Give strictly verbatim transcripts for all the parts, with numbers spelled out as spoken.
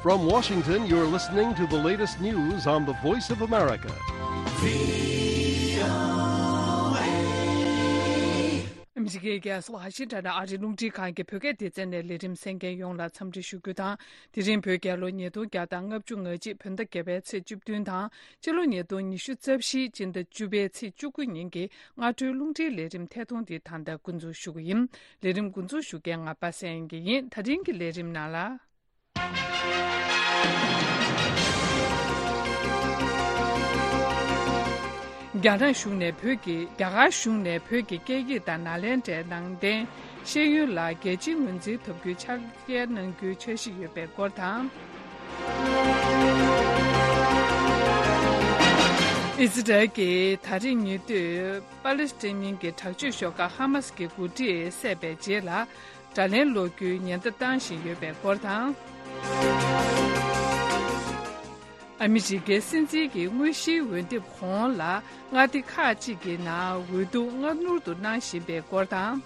From Washington, you're listening to the latest news on the Voice of America. ཨ་མི་རི་ཀའི་རྒྱལ་ས་ཝ་ཤིང་ཊོན་ནས་ཨ་རིའི་རླུང་འཕྲིན་ཁང་གི་བོད་སྐད་སྡེ་ཚན་ནས་ལས་རིམ་གསན་མཁན་ཡོངས་ལ་འཚམས་འདྲི་ཞུ་རྒྱུ་དང་། དེ་རིང་བོད་རྒྱལ་ལོ་ཉིས་སྟོང་བརྒྱ་དང་ལྔ་བཅུ་ང་གཅིག་བོད་ཟླ་བརྒྱད་པའི་ཚེས་བཅུ་བདུན་དང་། སྤྱི་ལོ་ཉིས་སྟོང་ཉི་ཤུ་རྩ་བཞི་སྤྱི་ཟླ་བཅུ་པའི་ཚེས་བཅུ་དགུ་ཉིན་གྱི་སྔ་དྲོའི་རླུང་འཕྲིན་ལས་རིམ་ཐད་གཏོང་འདི་ད་ལྟ་འགོ་འཛུགས་ཞུ་གི་ཡིན། ལས་རིམ་འགོ་འཛུགས་ཞུ་མཁན་ང་པ་སངས་དབྱངས་ཡིན། ད་རིང་གི་ལས་རིམ་ནང་ལ། རྒྱ་ནག་གཞུང་ནས་བོད་ཀྱི་རྒྱ་གར་གཞུང་ནས་བོད་ཀྱི་སྐད་ཡིག་དང་ནཱ་ལེནྡྲའི་ནང་བསྟན་ཤེས་ཡོན་ལ་རྒྱལ་སྤྱིའི་ངོས་འཛིན་ཐོབ་རྒྱུའི་ཕྱག་འཁྱེར་གནང་རྒྱུའི་འཆར་གཞི་ཡོད་པའི་སྐོར་དང་། ཨི་ཛི་རལ་གྱིས་ད་རེས་ཉེ་དུས་པ་ལི་སི་ཐན་གྱི་དྲག་སྤྱོད་ཤོག་ཁག་ཧ་མ་སི་གི་འགོ་ཁྲིད་བསད་པའི་རྗེས་ལ། དགྲ་ལན་སློག་རྒྱུའི་ཉེན་བརྡ་བཏང་བཞིན་ཡོད་པའི་སྐོར་དང་། ཨ་མི་རི་ཀའི་སྲིད་འཛིན་གྱི་དངོས་གཞིའི་འོས་འདེམས་གོང་ལ་མངའ་སྡེ་ཁག་ཅིག་གི་ནང་འོས་བསྡུ་སྔ་སྣུར་དུ་གནང་བཞིན་པའི་སྐོར་དང་།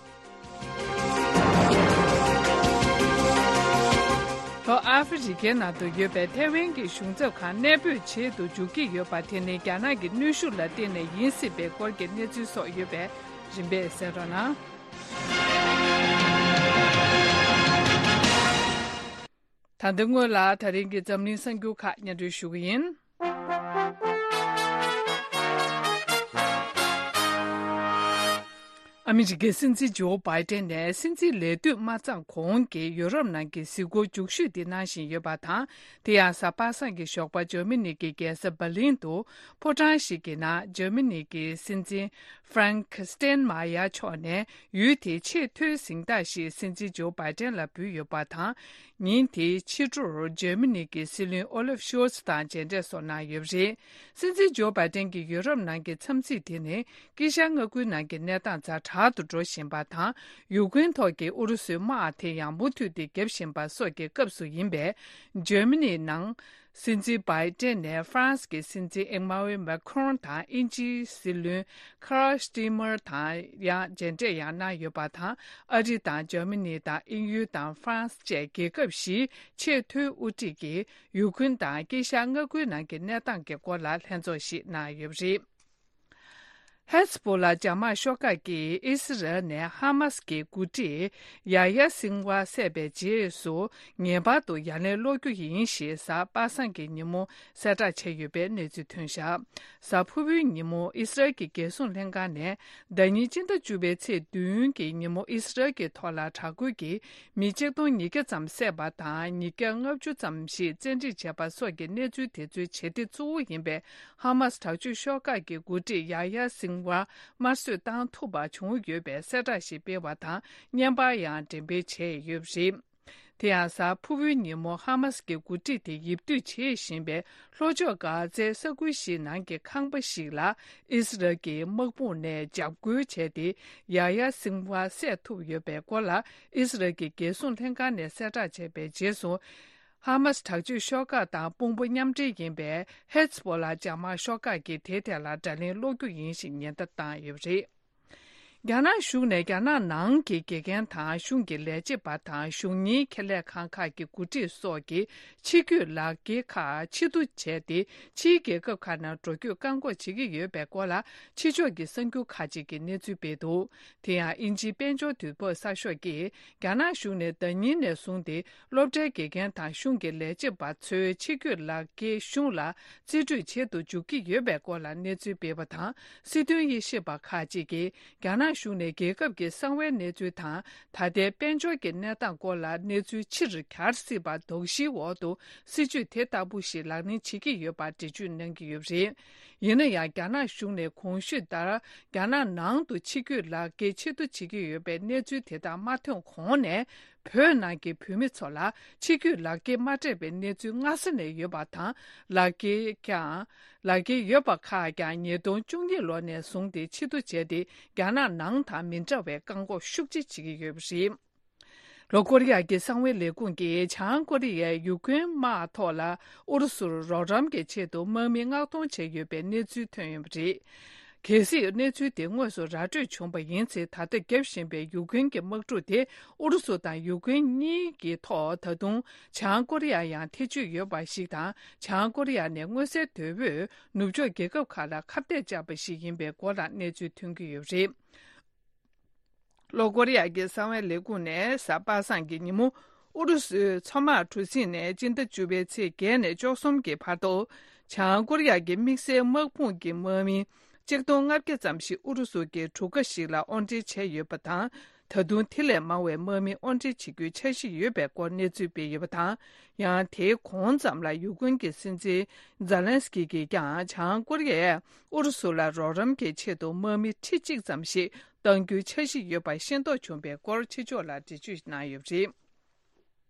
ལྷོ་ཨ་ཧྥེ་རི་ཀའི་ནང་དུ་ཡོད་པའི་ཐའེ་ཝན་གྱི་གཞུང་ཚབ་ཁང་གནས་སྤོས་བྱེད་དུ་འཇུག་གི་ཡོད་པ་དེ་ནི་རྒྱ་ནག་གི་གནོན་ཤུགས་ལ་བརྟེན་ནས་ཡིན་སྲིད་པའི་སྐོར་གྱི་གནས་ཚུལ་སོགས་ཡོད་པས་རིམ་པས་གསན་རོགས་གནང་། ད་ལྟ་སྔོན་ལ་ད་རིང་གི་འཛམ་གླིང་གསར་འགྱུར་ཁག་སྙན་སྒྲོན་ཞུ་གི་ཡིན། ཨ་མི་རི་ཀའི་སྲིད་འཛིན་ཇོ་བྷའི་ཏན་ནས་སྲིད་འཛིན་ལས་དུས་མ་ཚང་གོང་གི་ཡུ་རོབ་ནང་གི་གཟིགས་སྐོར་མཇུག་ཞུས་འདི་གནང་བཞིན་ཡོད་པ་དང་། དེ་ཡང་གཟའ་པ་སངས་ཀྱི་ཞོགས་པ་འཇར་མ་ནི་གི་རྒྱལ་ས་འབར་ལིན་དུ་ཕོ་བྲང་ཞིག་གི་ནང་འཇར་མ་ནི་གི་སྲིད་འཛིན་ཧྥ་རན་ཀི་སྟན་མ་ཡར་མཆོག་ནས་ཡུལ་དེའི་ཆེས་མཐོའི་གཟེངས་རྟགས་ཤིག་སྲིད་འཛིན་ཇོ་བྷའི་ཏན་ལ་འབུལ་ཡོད་པ་དང་། ཉིན་དེའི་ཕྱི་དྲོར་འཇར་མ་ནི་གི་སྲིད་བློན་ཨོ་ལབ་ཤོལ་ཚ་དང་མཇལ་འཕྲད་སོགས་གནང་ཡོད་པ་རེད། སྲིད་འཛིན་ཇོ་བྷའི་ཏན་གྱི་ཡུ་རོབ་ནང་གི་འཚམས་གཟིགས་དེ་ནི་དཀྱིལ་ཤར་མངའ་ཁུལ་ནང་གི་གནས་སྟངས་ཛ་དྲག་ཏུ་འགྲོ་བཞིན་པ་དང་། ཡུ་ཀེ་རེན་ཐོག་གི་ཨུ་རུ་སུའི་དམག་དེ་ཡང་མུ་མཐུད་དེ་རྒྱབ་བཞིན་པ་སོགས་ཀྱི་སྐབས་སུ་ཡིན་པས། འཇར་མ་ནིའི་ནང་སྲིད་འཛིན་བྷའི་ཏན་ནས་ཧྥ་རན་སི་གི་སྲིད་འཛིན་ཨེ་མ་ཝེལ་མེ་ཁོན་དང་དབྱིན་ཇིའི་སྲིད་བློན་ཁར་སྟི་མར་དང་ཡང་མཇལ་འཕྲད་ཡང་གནང་ཡོད་པ་དང་། ཨ་རི་དང་འཇར་མ་ནི་དང་དབྱིན་ཡུལ་དང་ཧྥ་རན་སི་བཅས་རྒྱལ་ཁབ་བཞིའི་ཆེས་མཐོའི་དབུ་ཁྲིད་ཀྱིས་ཡུ་ཁུན་དང་དཀྱིལ་ཤར་མངའ་ཁུལ་ནང་གི་གནས་སྟངས་ཀྱི་སྐོར་ལ་ལྷན་ཚོགས་ཤིག་གནང་ཡོད་པ་རེད། ཧེ་ཛ་བྷོ་ལ་འཇབ་དམག་ཤོག་ཁག་གིས་ཨི་སི་རལ་ནས་ཧ་མ་སི་གི་འགོ་ཁྲིད་ཡ་ཡ་སིང་ཝ་བསད་པའི་རྗེས་སུ་ངེས་པར་དུ་ཡ་ལན་སློག་རྒྱུ་ཡིན་ཞེས་གཟའ་པ་སངས་ཀྱི་ཉིན་མོ་གསལ་བསྒྲགས་བྱས་ཡོད་པའི་གནས་ཚུལ་ཐོན་བཞག་གཟའ་ཕུར་བུའི་ཉིན་མོ་ཨི་སི་རལ་གྱི་རྒྱལ་སྲུང་ལྷན་ཁང་ནས་ཟླ་ཉིན་སྤྱི་ཟླ་བཅུ་པའི་ཚེས་བདུན་གྱི་ཉིན་མོ་ཨི་སི་རལ་གྱི་ཐོག་ལ་དྲག་རྒོལ་གྱིས་མི་ཆིག་སྟོང་ཉིས་བརྒྱ་ཙམ་བསད་པ་དང་། ཉིས་བརྒྱ་ལྔ་བཅུ་ཙམ་ཞིག་བཙན་ཁྲིད་བྱས་པ་སོགས་ཀྱི་གནས་ཚུལ་དེ་ཚོའི་བྱེད་གཏེ་གཙོ་བོ་ཡིན་པའི་ཧ་མ་སི་དྲག་སྤྱོད་ཤོག་ཁག་གི་འགོ་ཁྲིད་ཡ་ཡ་སིང་ཝ་དམར་གསོད་བཏང་ཐུབ་པ་བྱུང་ཡོད་པའི་གསལ་བསྒྲགས་ཤིག་སྤེལ་བ་དང་། བརྙན་པར་ཡང་འགྲེམས་སྤེལ་བྱས་ཡོད་པ་རེད། དེ་ཡང་གཟའ་ཕུར་བུའི་ཉིན་མོ་ཧ་མ་སི་གི་འགོ་ཁྲིད་དེ་ཡིབ་སྡོད་བྱེད་བཞིན་པའི་ལྷོ་ཕྱོགས་གྷ་ཛའི་ས་ཁུལ་ཞིག་ནང་གི་ཁང་པ་ཞིག་ལ་ཨི་སི་རལ་གྱི་དམག་དཔུང་ནས་འཇབ་རྒོལ་བྱས་ཏེ། ཡ་ཡ་སིང་ཝ་བསད་ཐུབ་ཡོད་པའི་སྐོར་ལ་ཨི་སི་རལ་གྱི་རྒྱལ་སྲུང་ལྷན་ཁང་ནས་གསལ་བསྒྲགས་བྱས་པའི་རྗེས་སུ། ཧ་མ་སི་དྲག་སྤྱོད་ཤོག་ཁག་དང་དཔུང་པ་མཉམ་འབྲེལ་ཡིན་པའི་ཧེ་ཛ་བྷོ་ལ་འཇབ་དམག་ཤོག་ཁག་གིས་དེའི་ཐད་ལ་དགྲ་ལན་སློག་རྒྱུ་ཡིན་ཞེས་ཉེན་བརྡ་བཏང་ཡོད་པ་རེད། རྒྱ་ནག་གཞུང་ནས་རྒྱ་ནག་ནང་གི་དགེ་རྒན་དང་གཞུང་གི་ལས་བྱེད་པ་དང་གཞུང་གཉེར་ཁེ་ལས་ཁང་ཁག་གི་འགོ་ཁྲིད་སོགས་ཀྱི་ཕྱི་སྐྱོད་ལག་འཁྱེར་ཁག་ཕྱིར་བསྡུ་བྱས་ཏེ། ཕྱིའི་རྒྱལ་ཁབ་ཁག་ནང་འགྲོ་སྐྱོད་བཀག་འགོག་བྱེད་ཀྱི་ཡོད་པའི་སྐོར་ལ་ཕྱི་ཕྱོགས་ཀྱི་གསར་འགྱུར་ཁག་ཅིག་གིས་གནས་ཚུལ་སྤེལ་འདུག་དེ་ཡང་དབྱིན་ཇིའི་དཔལ་འབྱོར་དུས་བབ་གསར་ཤོག་གིས། རྒྱ་ནག་གཞུང་ནས་ཟླ་ཉིན་ནས་བཟུང་སྟེ། སློབ་གྲྭའི་དགེ་རྒན་དང་གཞུང་གི་ལས་བྱེད་པ་ཚོའི་ཕྱིར་སྐྱོད་ལག་འཁྱེར་གཞུང་ལ་རྩིས་སྤྲོད་བྱེད་དུ་འཇུག་གི་ཡོད་པའི་སྐོར་ལ་གནས་ཚུལ་སྤེལ་བ་དང་། སྲིད་དོན་དབྱེ་ཞིབ་པ་ཁག་ཅིག་གིས། རྒྱ་ནག་གཞུང་ནས་རྒྱལ་ཁབ་ཀྱི་གསང་བའི་གནས་ཚུལ་དང་། ད་ལྟའི་དཔལ་འབྱོར་གྱི་གནས་སྟངས་སྐོར་ལ་གནས་ཚུལ་ཕྱིར་གྱར་སྲིད་པ་དོགས་གཞིའི་འོག་ཏུ། སྲིད་ཇུས་དེ་ལྟ་བུ་ཞིག་ལག་ལེན་བྱེད་ཀྱི་ཡོད་པར་འགྲེལ་བརྗོད་གནང་གི་ཡོད་པ་རེད། ཡིན་ན་ཡང་། རྒྱ་ནག་གཞུང་ནས་གོང་ཞུས་ལྟར། རྒྱ་ནག་ནང་དུ་ཕྱིར་སྐྱོད་ལག་འཁྱེར་ཕྱིར་བསྡུ་བྱེད་ཀྱི་ཡོད་པའི་གནས་ཚུལ་དེ་དག་མ་ཐོན་གོང་ནས། བོད་ནང་གི་བོད་མི་ཚོ་ལ་ཕྱིར་སྐྱོད་ལག་འཁྱེར་མ་སྤྲད་པའི་གནས་ཚུལ་སྔ་ས་ནས་ཡོད་པ་དང་། ལག་འཁྱེར་ཀྱང་། ལག་འཁྱེར་ཡོད་པ་ཁག་ཀྱང་ཉིས་སྟོང་བཅུ་གཉིས་ལོ་ནས་བཟུང་སྟེ་ཕྱིར་བསྡུ་བྱས་ཏེ། རྒྱ་ནག་ནང་དང་མི་འདྲ་བའི་བཀག་འགོག་ཤུགས་ཆེ་བྱེད་ཀྱི་ཡོད་པ་རེད། ལྷོ་ཀོ་རི་ཡ་གི་གསང་བའི་ལས་ཁུངས་ཀྱིས་བྱང་ཀོ་རི་ཡས་ཡུ་ཀེ་རེན་དམག་ཐོག་ལ་ཨུ་རུ་སུར་རོགས་རམ་གྱི་ཆེད་དུ་དམག་མི་མངགས་གཏོང་བྱས་ཡོད་པའི་གནས་ཚུལ་ཐོན་ཡོད་པ་རེད། གལ་སྲིད་གནས་ཚུལ་དེ་དངོས་སུ་ར་སྤྲོད་བྱུང་བ་ཡིན་ཚེ། ད་ལྟ་བརྒྱབ་བཞིན་པའི་ཡུཀ་རེན་གྱི་དམག་འཁྲུག་དེ་ཨུ་རུ་སུ་དང་ཡུཀ་རེན་གཉིས་ཀྱི་ཐོག་ད་དུང་བྱང་ཀོ་རི་ཡ་ཡང་ཐེ་བྱུས་ཡོད་པ་ཞིག་དང་། བྱང་ཀོ་རི་ཡ་ནས་མངོན་གསལ་དོད་པོས་ནུབ་ཕྱོགས་རྒྱལ་ཁབ་ཁག་ལ་ཁ་གཏད་བཅག་པ་ཞིག་ཡིན་པའི་སྐོར་ལ་གནས་ཚུལ་ཐོན་གྱི་ཡོད་པ་རེད། ལྷོ་ཀོ་རི་ཡ་གི་གསང་བའི་ལས་ཁུངས་ནས་གཟའ་པ་སངས་ཀྱི་ཉིན་མོ། ཨུ་རུ་སུའི་མཚོ་དམག་གྲུ་གཟིངས་ནས་སྤྱི་ཟླ་བཅུ་པའི་ཚེས་བརྒྱད་ནས་བཅུ་གསུམ་གྱི་བར་དུ། བྱང་ཀོ་རི་ཡ་གི་དམིགས་བསལ་དམག་དཔུང་གི་དམག་མི་གཅིག་སྟོང་ལྔ་བརྒྱ་ཙམ་ཞིག་ཨུ་རུ་སུ་གྱི་གྲུ་ཁ་ཞིག་ལ་དབོར་འདྲེན་བྱས་ཡོད་པ་དང་། ད་དུང་དེ་ལས་མང་བའི་དམག་མི་དབོར་འདྲེན་བྱེད་རྒྱུའི་འཆར་གཞི་ཡོད་པའི་སྐོར་གནས་ཚུལ་སྤེལ་ཡོད་པ་དང་། ཡང་དེའི་གོང་ཙམ་ལ་ཡུཀ་རེན་གྱི་སྲིད་འཛིན་ཛེ་ལན་སི་ཀི་གིས་ཀྱང་། བྱང་ཀོ་རི་ཡས་ཨུ་རུ་སུ་ལ་རོགས་རམ་གྱི་ཆེད་དུ་དམག་མི་ཁྲི་གཅིག་ཙམ་ཞིག་གཏང་རྒྱུའི་འཆར་གཞི་ཡོད་པ་ཤེས་རྟོགས་བྱུང་བའི་སྐོར་ཕྱི་ཕྱོགས་ལ་འགྲེལ་བརྗོད་གནང་ཡོད་པ་རེད།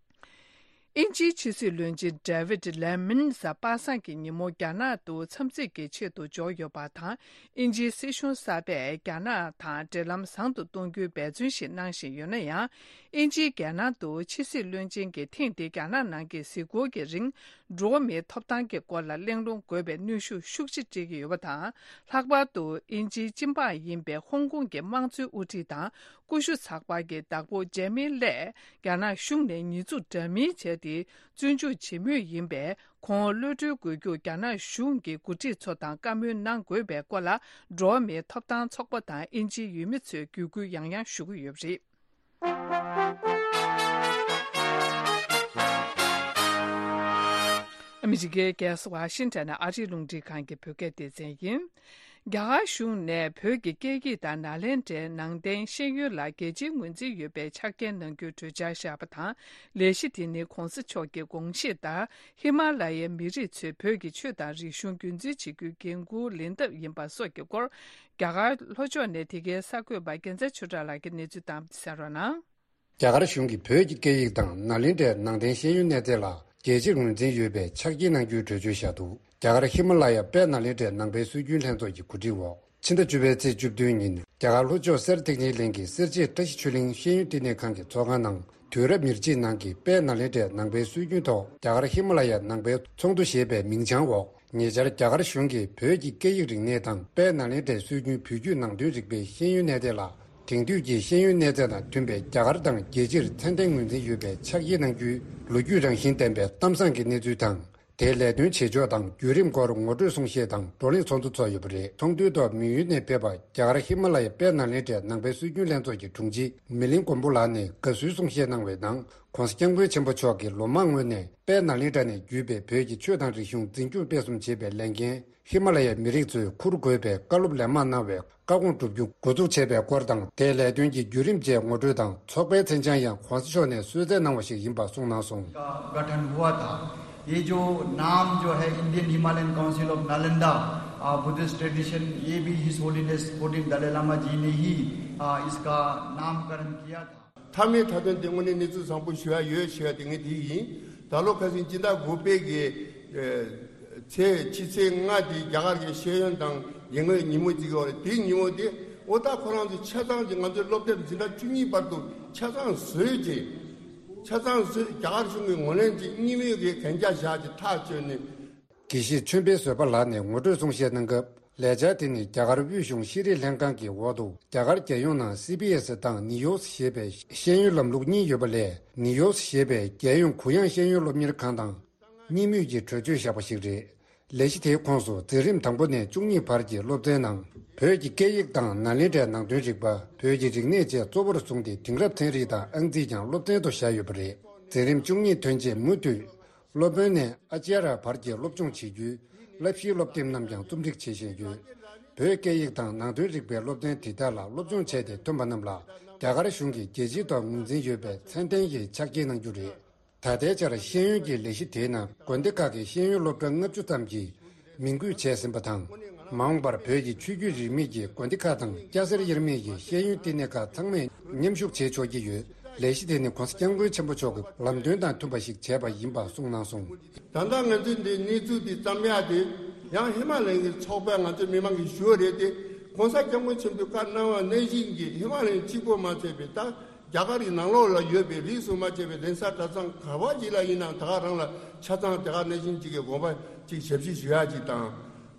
དབྱིན་ཇིའི་ཕྱི་སྲིད་བློན་ཆེན་ཌེ་ཝིད་ལེ་མིན་གཟའ་པ་སངས་ཀྱི་ཉིན་མོ་རྒྱ་ནག་ཏུ་འཚམས་གཟིགས་ཀྱི་ཆེད་དུ་འབྱོར་ཡོད་པ་དང་། དབྱིན་ཇིའི་སྲིད་གཞུང་གསར་པས་རྒྱ་ནག་དང་འབྲེལ་ལམ་བཟང་དུ་གཏོང་རྒྱུའི་འབད་བརྩོན་ཞིག་གནང་བཞིན་ཡོད་ན་ཡང་། དབྱིན་ཇིའི་རྒྱལ་ནང་དུ་ཕྱི་སྲིད་བློན་ཆེན་གྱིས་ཐེངས་འདིའི་རྒྱ་ནག་ནང་གི་གཟིགས་སྐོར་གྱི་རིང་། འགྲོ་བ་མིའི་ཐོབ་ཐང་གི་སྐོར་ལ་གླེང་སློང་དགོས་པའི་གནོན་ཤུགས་ཤུགས་ཆེ་སྤྲད་ཀྱི་ཡོད་པ་དང་། ལྷག་པར་དུ་དབྱིན་ཇིའི་སྤྱི་འབངས་ཡིན་པའི་ཧོང་ཀོང་གི་དམངས་གཙོའི་དབུ་ཁྲིད་དང་། ཀུ་ཤུ་ཚགས་པར་གྱི་བདག་པོ་ཇེ་མི་ལེས་རྒྱ་ནག་གཞུང་ནས་ཉེས་འཛུགས་འདྲ་མིན་བྱས་ཏེ། བཙོན་འཇུག་བྱེད་མུས་ཡིན་པས། ཁོང་གློད་གྲོལ་དགོས་རྒྱུར་རྒྱ་ནག་གཞུང་གི་འགོ་ཁྲིད་ཚོ་དང་བཀའ་མོལ་གནང་དགོས་པའི་སྐོར་ལ། འགྲོ་བ་མིའི་ཐོབ་ཐང་ཚོགས་པ་དང་དབྱིན་ཇིའི་ཡུལ་མི་ཚོས་བརྒྱུད་སྐུལ་ཡང་ཡང་ཞུ་གི་ཡོད་པ་རེད། ཨ་མི་རི་ཀའི་རྒྱལ་ས་ཝ་ཤིང་ཊོན་ནས་ཨ་རིའི་རླུང་འཕྲིན་ཁང་གི་བོད་སྐད་སྡེ་ཚན་ཡིན། རྒྱ་གར་གཞུང་ནས་བོད་ཀྱི་སྐད་ཡིག་དང་ནཱ་ལེནྡྲའི་ནང་བསྟན་ཤེས་ཡོན་ལ་རྒྱལ་སྤྱིའི་ངོས་འཛིན་ཡོད་པའི་ཆ་རྐྱེན་གནང་རྒྱུའི་གྲོས་འཆར་བཞག་པ་དང་། ལས་གཞི་དེ་ནི་གོང་ས་མཆོག་གི་དགོངས་བཞེད་ལྟར། ཧི་མ་ལ་ཡའི་མི་རིགས་ཚོས་བོད་ཀྱི་ཆོས་དང་རིག་གཞུང་རྒྱུན་འཛིན་བྱེད་རྒྱུའི་འགན་འཁུར་ལེན་ཐབས་ཡིན་པ་སོགས་ཀྱི་སྐོར། རྒྱ་གར་ལྷོ་ཕྱོགས་ནས་དེ་གའི་གསར་འགོད་པ་རྒྱལ་མཚན་ཆོས་གྲགས་ལགས་ཀྱིས་གནས་ཚུལ་བཏང་བ་དེ་གསན་རོགས་གནང་། རྒྱ་གར་གཞུང་གིས་བོད་ཀྱི་སྐད་ཡིག་དང་ནཱ་ལེནྡྲའི་ནང་བསྟན་ཤེས་ཡོན་གནས་ཚད་ལ་རྒྱལ་སྤྱིར་ངོས་འཛིན་ཡོད་པའི་ཆ་རྐྱེན་གནང་རྒྱུའི་གྲོས་ཆོད་བཞག་འདུག་རྒྱ་གར་ཧི་མ་ལ་ཡ་དཔལ་ནཱ་ལེནྡྲའི་ནང་པའི་སྲོལ་རྒྱུན་ལྷན་ཚོགས་ཀྱི་གོ་སྒྲིག་འོག་ཕྱི་ཟླ་བཅུ་པའི་ཚེས་བཅུ་བདུན་ཉིན། རྒྱ་གར་ལྷོ་ཕྱོགས་སེར་ཐིག་ཉི་གླིང་གི་སེར་བྱེས་བཀྲ་ཤིས་ཆོས་གླིང་ཤེས་ཡོན་བསྟི་གནས་ཁང་གི་ཚོགས་ཁང་ནང་། དུས་རབས་ཉེར་གཅིག་ནང་གི་དཔལ་ནཱ་ལེནྡྲའི་ནང་པའི་སྲོལ་རྒྱུན་ཐོག་རྒྱ་གར་ཧི་མ་ལ་ཡ་ནང་པའི་ཚོགས་འདུ་ཞེས་པའི་མིང་བྱང་འོག་ཉེ་ཆར་རྒྱ་གར་གཞུང་གིས་བོད་ཀྱི་སྐད་ཡིག་རིག་གནས་དང་དཔལ་ནཱ་ལེནྡྲའི་སྲོལ་རྒྱུན་བོད་བརྒྱུད་ནང་བསྟན་རིག་པའི་ཤེས་ཡོན་གནས་ཚད་ལ། དེང་དུས་ཀྱི་ཤེས་ཡོན་གནས་ཚད་དང་མཐུན་པའི་རྒྱ་གར་དང་རྒྱལ་སྤྱིར་ཚད་ལྡན་ངོས་འཛིན་ཡོད་པའི་ཆ་རྐྱེན་གནང་རྒྱུའི་ལོ་རྒྱུས་རང་བཞིན་ལྡན་པའི་གཏམ་བཟང་གི་གནས་ཚུལ་དང་། དེའི་ལས་དོན་བྱེད་ཕྱོགས་དང་བརྒྱུད་རིམ་སྐོར་ངོ་སྤྲོད་གསུང་བཤད་དང་བགྲོ་གླེང་ཚོགས་འདུ་ཚོགས་ཡོད་པ་རེད། ཚོགས་འདུའི་ཐོག་མི་ཡུལ་ནས་ཕེབས་པ་རྒྱ་གར་ཧི་མ་ལ་ཡའི་དཔལ་ནཱ་ལེནྡྲའི་ནང་པའི་སྲོལ་རྒྱུན་ལྷན་ཚོགས་ཀྱི་དྲུང་ཆེ་མི་ལིང་མགོན་པོ་ལགས་ནས་དགའ་བསུའི་གསུང་བཤད་གནང་བའི་ནང་། ྋགོང་ས་ྋསྐྱབས་མགོན་ཆེན་པོ་མཆོག་གིས་ལོ་མང་སྔོན་ནས་དཔལ་ནཱ་ལེནྡྲ་ནས་བརྒྱུད་པའི་བོད་ཀྱི་ཆོས་དང་རིག་གཞུང་འཛིན་སྐྱོང་སྤེལ་གསུམ་བྱེད་པའི་ལས་འགན་ཧི་མ་ལ་ཡའི་མི་རིགས་ཚོས་འཁུར་དགོས་པའི་བཀའ་སློབ་ལན་མང་གནང་བའི་བཀའ་དགོངས་བསྒྲུབ་རྒྱུ་འགོ་འཛུགས་བྱས་པའི་སྐོར་དང་། དེའི་ལས་དོན་གྱི་བརྒྱུད་རིམ་བཅས་ངོ་སྤྲོད་དང་། ཚོགས་པའི་མཚན་བྱང་ཡང་ྋགོང་ས་མཆོག་ནས་གསོལ་སྩལ་གནང་བ་ཞིག་ཡིན་པ་གསུངས་གནང་སོང་། का गठन हुआ था। ये जो नाम जो है Indian Himalayan Council of Nalanda, uh, Buddhist tradition, ये भी His Holiness fourteen Dalai Lama जी ने ही, आ, इसका नामकरण किया था। མཐའ་མའི་མཐའ་དོན་དེ་དངོས་གནས་གནས་ཚུལ་བཟང་པོ་ཞུ་ཡ་ཡོད་ཞུ་ཡ་དེ་ངས་དེ་ཡིན། ད་ལོ་ཁ་སང་སྤྱི་ཟླ་དགུ་པའི་གི་ཨེ་ཚེས་ཕྱི་ཚེས་ལྔ་དེ་རྒྱ་གར་གྱི་ཤེས་ཡོན་དང་ཡིན་ངོས་ཉིན་མོ་གཅིག་ཡོད་རེད། དེའི་ཉིན་མོ་དེ་འོ་ད་ཁོ་རང་ཚོ་ཆ་ཚང་གི་ང་ཚོའི་སློབ་དེབ་འཛིན་གྲྭ་བཅུ་གཉིས་བར་དུ་ཆ་ཚང་བཟོས་རྗེས། ཆ་ཚང་བཟོས། རྒྱ་གར་གཞུང་གི་ངོས་ལེན་གྱིས་གཉིས་མོས་ཀྱི་གན་རྒྱ་བཞག་རྗེས་ཐག་གཅོད་ནས། དགེ་བཤེས་ཆོས་འཕེལ་བཟོད་པ་ལགས་ནས་ངོ་སྤྲོད་གསུང་བཤད་གནང་སྐབས། ལས་འཆར་དེ་ནི་རྒྱ་གར་དབུས་གཞུང་ཤེས་རིག་ལྷན་ཁང་གི་འོག་ཏུ་རྒྱ་གར་རྒྱལ་ཡོངས་ནང་སི་བི་ཨེ་སི་དང་ནི་ཡོག་ཞེས་པའི་ཤེས་ཡོན་ལམ་ལུགས་གཉིས་ཡོད་པ་ལས། ནི་ཡོག་ཞེས་པའི་རྒྱལ་ཡོངས་གུ་ཡངས་ཤེས་ཡོན་སློབ་གཉེར་ཁང་དང་གཉིས་མོས་ཀྱི་གྲོས་ཆོད་བཞག་པ་ཞིག་རེད། ལས་གཞི་དེའི་ཁོངས་སུ་འཛིན་རིམ་དང་པོ་ནས་བཅུ་གཉིས་བར་གྱི་སློབ་ཚན་ནང་། བོད་ཀྱི་སྐད་ཡིག་དང་ནཱ་ལེནྡྲའི་ནང་དོན་རིག་པ། བོད་ཀྱི་རིག་གནས་བཅས་གཙོ་བོར་བཟུང་སྟེ་དེང་རབས་ཚན་རིག་དང་ཨང་རྩིས་ཀྱང་སློབ་ཚན་དུ་བཞག་ཡོད་པ་རེད། འཛིན་རིམ་བཅུ་གཉིས་ཐོན་རྗེས་མུ་མཐུད། སློབ་དཔོན་ནས་ཨ་ཅཱརྱ་བར་གྱི་སློབ་སྦྱོང་བྱེད་རྒྱུའི་བསླབ་གཞིའི་སློབ་དེབ་རྣམས་ཀྱང་རྩོམ་སྒྲིག་བྱེད་བཞིན་ཡོད། བོད་སྐད་ཡིག་དང་ནང་དོན་རིག་པའི་སློབ་ཚན་དེ་དག་ལ་སློབ་སྦྱོང་བྱས་ཏེ་ཐོན་པ་རྣམས་ལ་རྒྱ་གར་གཞུང་གིས་རྒྱལ་སྤྱིའི་ཐོག་ངོས་འཛིན་ཡོད་པའི་ཚད་ལྡན་གྱི་ཆ་རྐྱེན་གནང་རྒྱུ་རེད། ད་ལྟའི་ཆར་ཤེས་ཡོན་གྱི་ལས་གཞི་དེའི་ནང་དགོན་སྡེ་ཁག་གི་ཤེས་ཡོན་སློབ་གྲྭ་ལྔ་བཅུ་ཙམ་གྱིས་མིང་འགོད་བྱས་ཟིན་པ་དང་། མ་འོངས་པར་བོད་ཀྱི་ཆོས་བརྒྱུད་རིས་མེད་ཀྱི་དགོན་སྡེ་ཁག་དང་སྐྱ་སེར་དབྱེར་མེད་ཀྱི་ཤེས་ཡོན་བསྟི་གནས་ཁག་ཚང་མས་མཉམ་ཞུགས་བྱེད་ཆོག་གི་ཡོད། ལས་གཞི་དེ་ནི་ྋགོང་ས་ྋསྐྱབས་མགོན་ཆེན་པོ་མཆོག་གི་ལམ་སྟོན་དང་མཐུན་པ་ཞིག་བྱས་པ་ཡིན་པ་གསུངས་གནང་སོང་། ད་ལྟ་ང་ཚོས་འདི་གནས་ཚུལ་འདི་བརྩམས་ཡག་དེ་ཡང་ཧི་མ་ལ་ཡའི་ཚོགས་པས་ང་ཚོའི་མི་མང་གིས་ཞུ་བ་རེད་དེ། ྋགོང་ས་ྋསྐྱབས་མགོན་ཆེན་པོས་བཀའ་གནང་བ་ནང་བཞིན་གྱི་ཧི་མ་ལ་ཡ་གཅིག་པོ་མ་ཚད་པའི་ད་རྒྱ་གར་གྱི་ནང་ལོགས་ལ་ཡོད་པའི་རིས་སུ་མ་ཆད་པའི་གདན་ས་གྲྭ་ཚང་ག་བ་ཅིག་ལ་ཡིན་ནའང་ད་ག་རང་ལ་ཆ་ཚང་དེ་ག་ནང་བཞིན་གཅིག་གི་དགོངས་པ་གཅིག་ཞབས་ཕྱི་ཞུ་ཡག་གཅིག་དང་།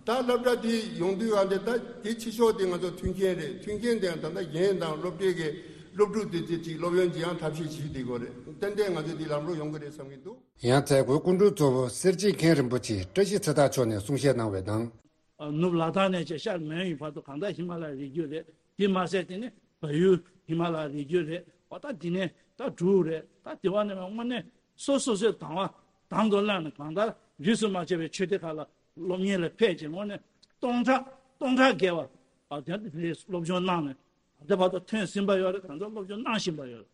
ད་སློབ་གྲྭ་དེ་ཡོང་དུས་ཨ་འདི་ད་དེ་ཕྱི་ཕྱོགས་དེ་ང་ཚོ་མཐུན་རྐྱེན་རེད། མཐུན་རྐྱེན་དེ་ཡང་ད་ལྟ་གཞན་དང་སློབ་གྲྭའི་གི་སློབ་ཕྲུག་དེ་དེ་ཅིག་སློབ་ཡོན་ཅིག་ཡང་ཐབས་ཤེས་བྱེད་བསྡད་དགོས་རེད། ཏན་ཏན་ང་ཚོ་དེ་ལམ་རོགས་ཡོང་གི་རེད་བསམ་གྱི་འདུག། ཡང་མཛད་སྒོའི་སྐུ་མགྲོན་གཙོ་བོ་སེར་བྱེས་མཁན་རིན་པོ་ཆེ་བཀྲ་ཤིས་ཚེ་ཐར་མཆོག་ནས་གསུང་བཤད་གནང་བའི་ནང་། ནུབ་ལ་དྭགས་ནས་ཅིག་ཤར་མོན་ཡུལ་བར་དུ་གང་ལྟར་ཧི་མ་ལ་ཡའི་རི་རྒྱུད་རེད། དེ་མ་ཟད་དེ་ནི་བལ་ཡུལ་ཧི་མ་ལ་ཡའི་རི་རྒྱུད་རེད། འོ་ད་དེ་ནས་ད་འབྲུག་རེད། ད་དེ་བ་ནས་དངོས་གནས་སོ་སོ་སོའི་དང་བ་དང་དུ་བླངས་ནས་གང་ལྟར་རིས་སུ་མ་ཆད་པའི་ཆོས་སྡེ་ཁག་ལ་སློབ་གཉེར་ལ་ཕེབས་ཀྱི་དངོས་གནས་སྟོང་ཕྲག་སྟོང་ཕྲག་བརྒལ་བ་ཨ་དེ་སློབ་སྦྱོང་གནང་ནས་ད་ལྟ་བར་དུ་ཐོན་ཟིན་པ་ཡོད་རེད། གང་ལྟར་སློབ་སྦྱོང་གནང་བཞིན་པ་ཡོད་རེད།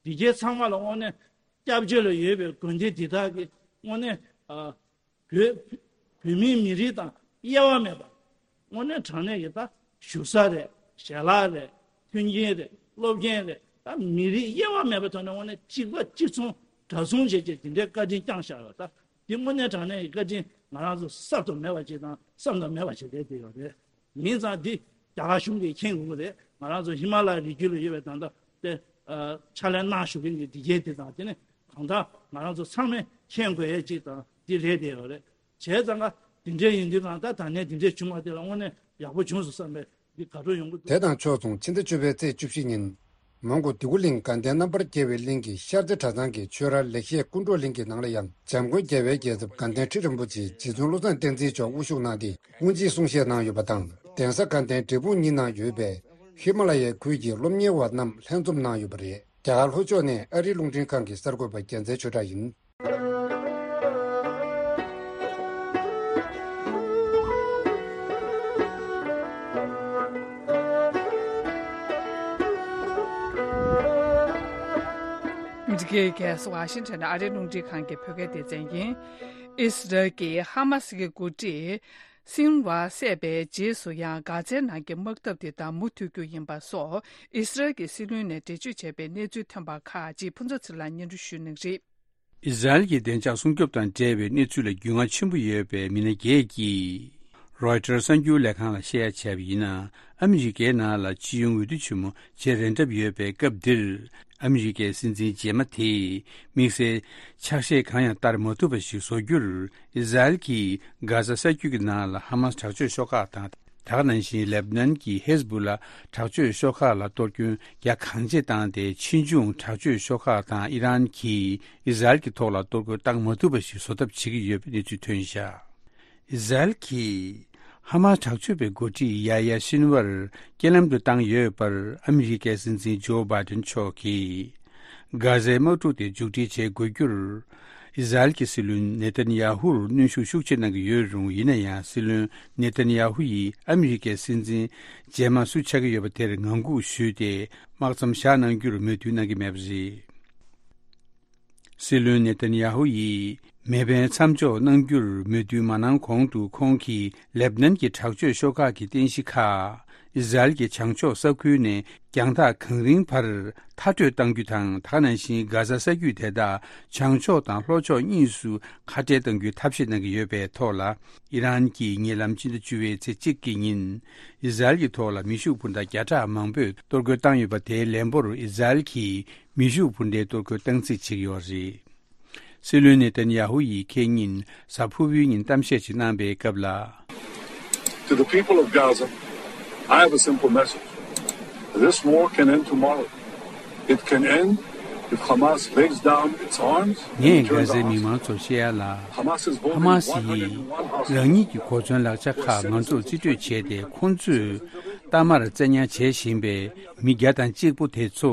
འདི་གའི་ཚང་མ་ལ་དངོས་གནས་སྐྱབས་བཅོལ་ལ་ཡོད་པའི་དགོན་སྡེ་འདི་དག་གི་དངོས་གནས་ཨ་བོད་བོད་མིའི་མི་རིགས་དང་དབྱེ་བ་མེད་པ། དངོས་གནས་དྲང་གནས་ཀྱི་ད་བཞུགས་ས་རེད། ཞལ་ལག་རེད། མཐུན་རྐྱེན་རེད། སློབ་རྐྱེན་རེད། ད་མི་རིགས་དབྱེ་བ་མེད་པའི་ཐོག་ནས་དངོས་གནས་གཅིག་པ་གཅིག་མཚུངས་འདྲ་མཚུངས་བྱས་བྱས་འདི་འདྲའི་བཀའ་དྲིན་བསྐྱངས་བཞག་ཡོད། ད་འདི་དངོས་གནས་དྲང་གནས་ཀྱི་བཀའ་དྲིན་ང་རང་ཚོ་གསབ་ཏུ་མེད་པ་ཅིག་དང་བསམ་དུ་མེད་པ་ཅིག་རེད་བསྡད་ཡོད་རེད། ཡིན་ཙང་འདི་རྒྱ་གར་གཞུང་གིས་མཁྱེན་དགོས་ཀྱི་རེད། ང་རང་ཚོ་ཧི་མ་ལ་ཡའི་རི་རྒྱུད་ལ་ཡོད་པའི་ད་ལྟ་དེ་ཕྱག་ལས་གནང་བཞུགས་མཁན་གྱི་འདི་གའི་དེ་དང་དེ་ནི་གང་ལྟར་ང་རང་ཚོ་ཚང་མས་མཁྱེན་དགོས་ཡས་ཅིག་དང་འདི་རེད་བསྡད་ཡོད་རེད། བྱས་ཙང་ཀ་འདི་འདྲའི་ཡིན་དུས་གང་ལྟར་ད་ནས་འདི་འདྲའི་བྱུང་བ་དེ་ལ་དངོས་གནས་ཡག་པོ་བྱུང་སོང་བསམ་པའི་འདི་དགའ་སྤྲོ་ཡོང་གི་འདུག། དེ་དང་ཕྱོགས་མཚུངས་ཕྱི་ཟླ་བཅུ་པའི་ཚེས་བཅུ་བཞི་ཉིན། མོན་གྷོ་དིལ་མགོ་གླིང་དགའ་ལྡན་རྣམ་པར་རྒྱལ་བའི་གླིང་གི་ཤར་རྩེ་གྲྭ་ཚང་གི་ཆོས་ར་ལེགས་བཤད་ཀུན་གྲོལ་གླིང་གི་ནང་ལ་ཡང་འཇམ་མགོན་རྒྱལ་བའི་རྒྱལ་ཚབ་དགའ་ལྡན་ཁྲི་རིན་པོ་ཆེ་རྗེ་བཙུན་བློ་བཟང་བསྟན་འཛིན་མཆོག་དབུ་བཞུགས་གནང་སྟེ་དབུ་འབྱེད་གསུང་བཤད་གནང་ཡོད་པ་དང་། གདན་ས་དགའ་ལྡན་འབྲས་སྤུངས་གཉིས་ནང་ཡོད་པའི་ཧི་མ་ལ་ཡའི་ཁུལ་གྱི་སློབ་གཉེར་བ་རྣམས་ལྷན་འཛོམས་གནང་ཡོད་པ་རེད། རྒྱ་གར་ལྷོ་ཕྱོགས་ནས་ཨ་རིའི་རླུང་འཕྲིན་ཁང་གི་གསར་འགོད་པ་རྒྱལ་མཚན་ཆོས་གྲགས་ཡིན། འདི་གའི་གལ་སྲིད་ཝ་ཤིང་ཊོན་ཨ་རིའི་རླུང་འཕྲིན་ཁང་གི་བོད་སྐད་སྡེ་ཚན་ཡིན། ཨིས་རལ་གྱིས་ཧ་མ་སི་གི་འགོ་ཁྲིད་སིན་ཝར་བསད་པའི་རྗེས་སུ་ཡང་གྷ་ཛའི་ནང་གི་དམག་འཐབ་དེ་དང་མུ་མཐུད་རྒྱུ་ཡིན་པ་སོགས་ཨིས་རལ་གྱི་སྲིད་བློན་ནས་འགྲེལ་བརྗོད་བྱས་པའི་གནས་ཚུལ་ཐོན་པ་ཁག་ཅིག་ཕུན་ཚོགས་ཚེ་རིང་ལགས་སྙན་སྒྲོན་ཞུ་གནང་གི་རེད། ཨི་ཟ་རེལ་གྱི་བདེ་འཇགས་སྲུང་སྐྱོབ་དང་འབྲེལ་བའི་གནས་ཚུལ་ལ་རྒྱུས་མངའ་ཆེན་པོ་ཡོད་པའི་མི་སྣ་བརྒྱད་ཀྱིས་རོའི་ཊར་གསར་འགྱུར་ལས་ཁང་ལ་བཤད་ཡ་བྱས་པ་ཡིན་ན། ཨ་མི་རི་ཀའི་ནང་ལ་སྤྱི་ཡོངས་འོས་བསྡུ་ཆེན་མོ་བྱེད་རན་གྲབས་ཡོད་པའི་སྐབས་འདིར། ཨ་མི་རི་ཀའི་སྲིད་འཛིན་རྗེས་མ་དེས་དམིགས་བསལ་ཕྱག་བཞེས་གང་ཡང་བསྟར་མ་ཐུབ་པ་ཞིག་བཟོ་རྒྱུར། ཨི་ཟ་རེལ་གྱིས་གྷ་ཟ་ས་རྒྱུད་ཀྱི་ནང་ལ་ཧ་མ་སི་དྲག་སྤྱོད་ཤོག་ཁག་དང་། ད་ག་ནང་བཞིན་ལེབ་ནན་གྱི་ཧེ་ཟ་བུ་ལ་དྲག་སྤྱོད་ཤོག་ཁག་ལ་གཏོར་སྐྱོན་རྒྱ་གང་ཆེ་བཏང་སྟེ། ཕྱིས་འབྱུང་དྲག་སྤྱོད་ཤོག་ཁག་དང་ཨི་རན་གྱིས་ཨི་ཟ་རེལ་གྱི་ཐོག་ལ་གཏོར་རྒོལ་བཏང་མ་ཐུབ་པ་ཞིག་བཟོ་ཐབས་བྱེད་ཀྱི་ཡོད་པའི་གནས་ཚུལ་ཐོན་བཞག། ཨི་ཟ་རེལ་གྱིས་ཧ་མ་སི་དྲག་སྤྱོད་པའི་འགོ་ཁྲིད་ཡ་ཡ་ཤིན་ཝར་རྐྱེན་ལམ་དུ་བཏང་ཡོད་པར་ཨ་མི་རི་ཀའི་སྲིད་འཛིན་ཇོ་བྷའི་ཏིན་མཆོག་གིས། གྷ་ཟའི་དམག་འཁྲུག་དེ་མཇུག་སྒྲིལ་བྱེད་དགོས་རྒྱུར། ཨི་ཟ་རེལ་གྱི་སྲིད་བློན་ནེ་ཐན་ཡ་ཧུར་གནོན་ཤུགས་ཤུགས་ཆེ་གནང་གི་ཡོད་རུང་། ཡིན་ན་ཡང་སྲིད་བློན་ནེ་ཐན་ཡ་ཧུ་ཡིས་ཨ་མི་རི་ཀའི་སྲིད་འཛིན་རྗེས་མ་སུ་ཆགས་ཀྱི་ཡོད་པ་དེར་ངང་སྒུག་ཞུས་ཏེ། དམག་མཚམས་བཞག་གནང་རྒྱུར་མོས་མཐུན་གནང་གི་མེད་པ་རེད། སྲིད་བློན་ནེ་ཐན་ཡ་ཧུ་ཡིས་མེ་འཕེན་མཚམས་འཇོག་གནང་རྒྱུར་མོས་མཐུན་མ་གནང་གོང་དུ། ཁོང་གིས་ལེབ་ནན་གྱི་དྲག་སྤྱོད་ཤོག་ཁག་གི་རྟེན་གཞི་ཁག་ཨི་ཟ་རེལ་གྱི་བྱང་ཕྱོགས་ས་ཁུལ་ནས་རྒྱང་ཐག་གང་རིང་བར་མཐར་སྐྲོད་གཏང་རྒྱུ་དང་། ད་ག་ནང་བཞིན་གྷ་ཟ་ས་རྒྱུད་དེ་དག་བྱང་ཕྱོགས་དང་ལྷོ་ཕྱོགས་གཉིས་སུ་ཁ་བྲལ་གཏང་རྒྱུའི་ཐབས་ཤེས་གནང་གི་ཡོད་པའི་ཐོག་ལ། ཨི་རན་གྱིས་ཉེ་ལམ་ཕྱི་ཟླ་བཅུ་བའི་ཚེས་གཅིག་གི་ཉིན་ཨི་ཟ་རེལ་གྱི་ཐོག་ལ་མེ་ཤུགས་འཕུར་མདའ་བརྒྱ་ཕྲག་མང་པོས་གཏོར་རྒོལ་བཏང་ཡོད་པ་དེའི་ལན་པོར་ཨི་ཟ་རེལ་གྱིས་མེ་ཤུགས་འཕུར་མདའི་གཏོར་རྒོལ་བཏང་རྩིས་བྱེད་ཀྱི་ཡོད་རེད། སྲིད་བློན་ནེ་ཐན་ཡ་ཧུ་ཡིས་ཁེ་ཉིན་གཟའ་ཕུར་བུའི་ཉིན་གཏམ་བཤད་ཅིག་གནང་པའི་སྐབས་ལ། To the people of Gaza, I have a simple message. This war can end tomorrow. It can end if Hamas lays down its arms and ངས་གྷ་ཟའི་མི་མང་ཚོར་བཤད་ཡ་ལ། ཧ་མ་སི་ཡིས་རང་ཉིད་ཀྱི་གོ་མཚོན་ལག་ཆ་ཁག་ང་ཚོར་རྩིས་སྤྲོད་བྱས་ཏེ། ཁོང་ཚོས་གཏའ་མར་བཙན་ཉར་བྱེད་བཞིན་པའི་མི་བརྒྱ་དང་གཅིག་པོ་དེ་ཚོ་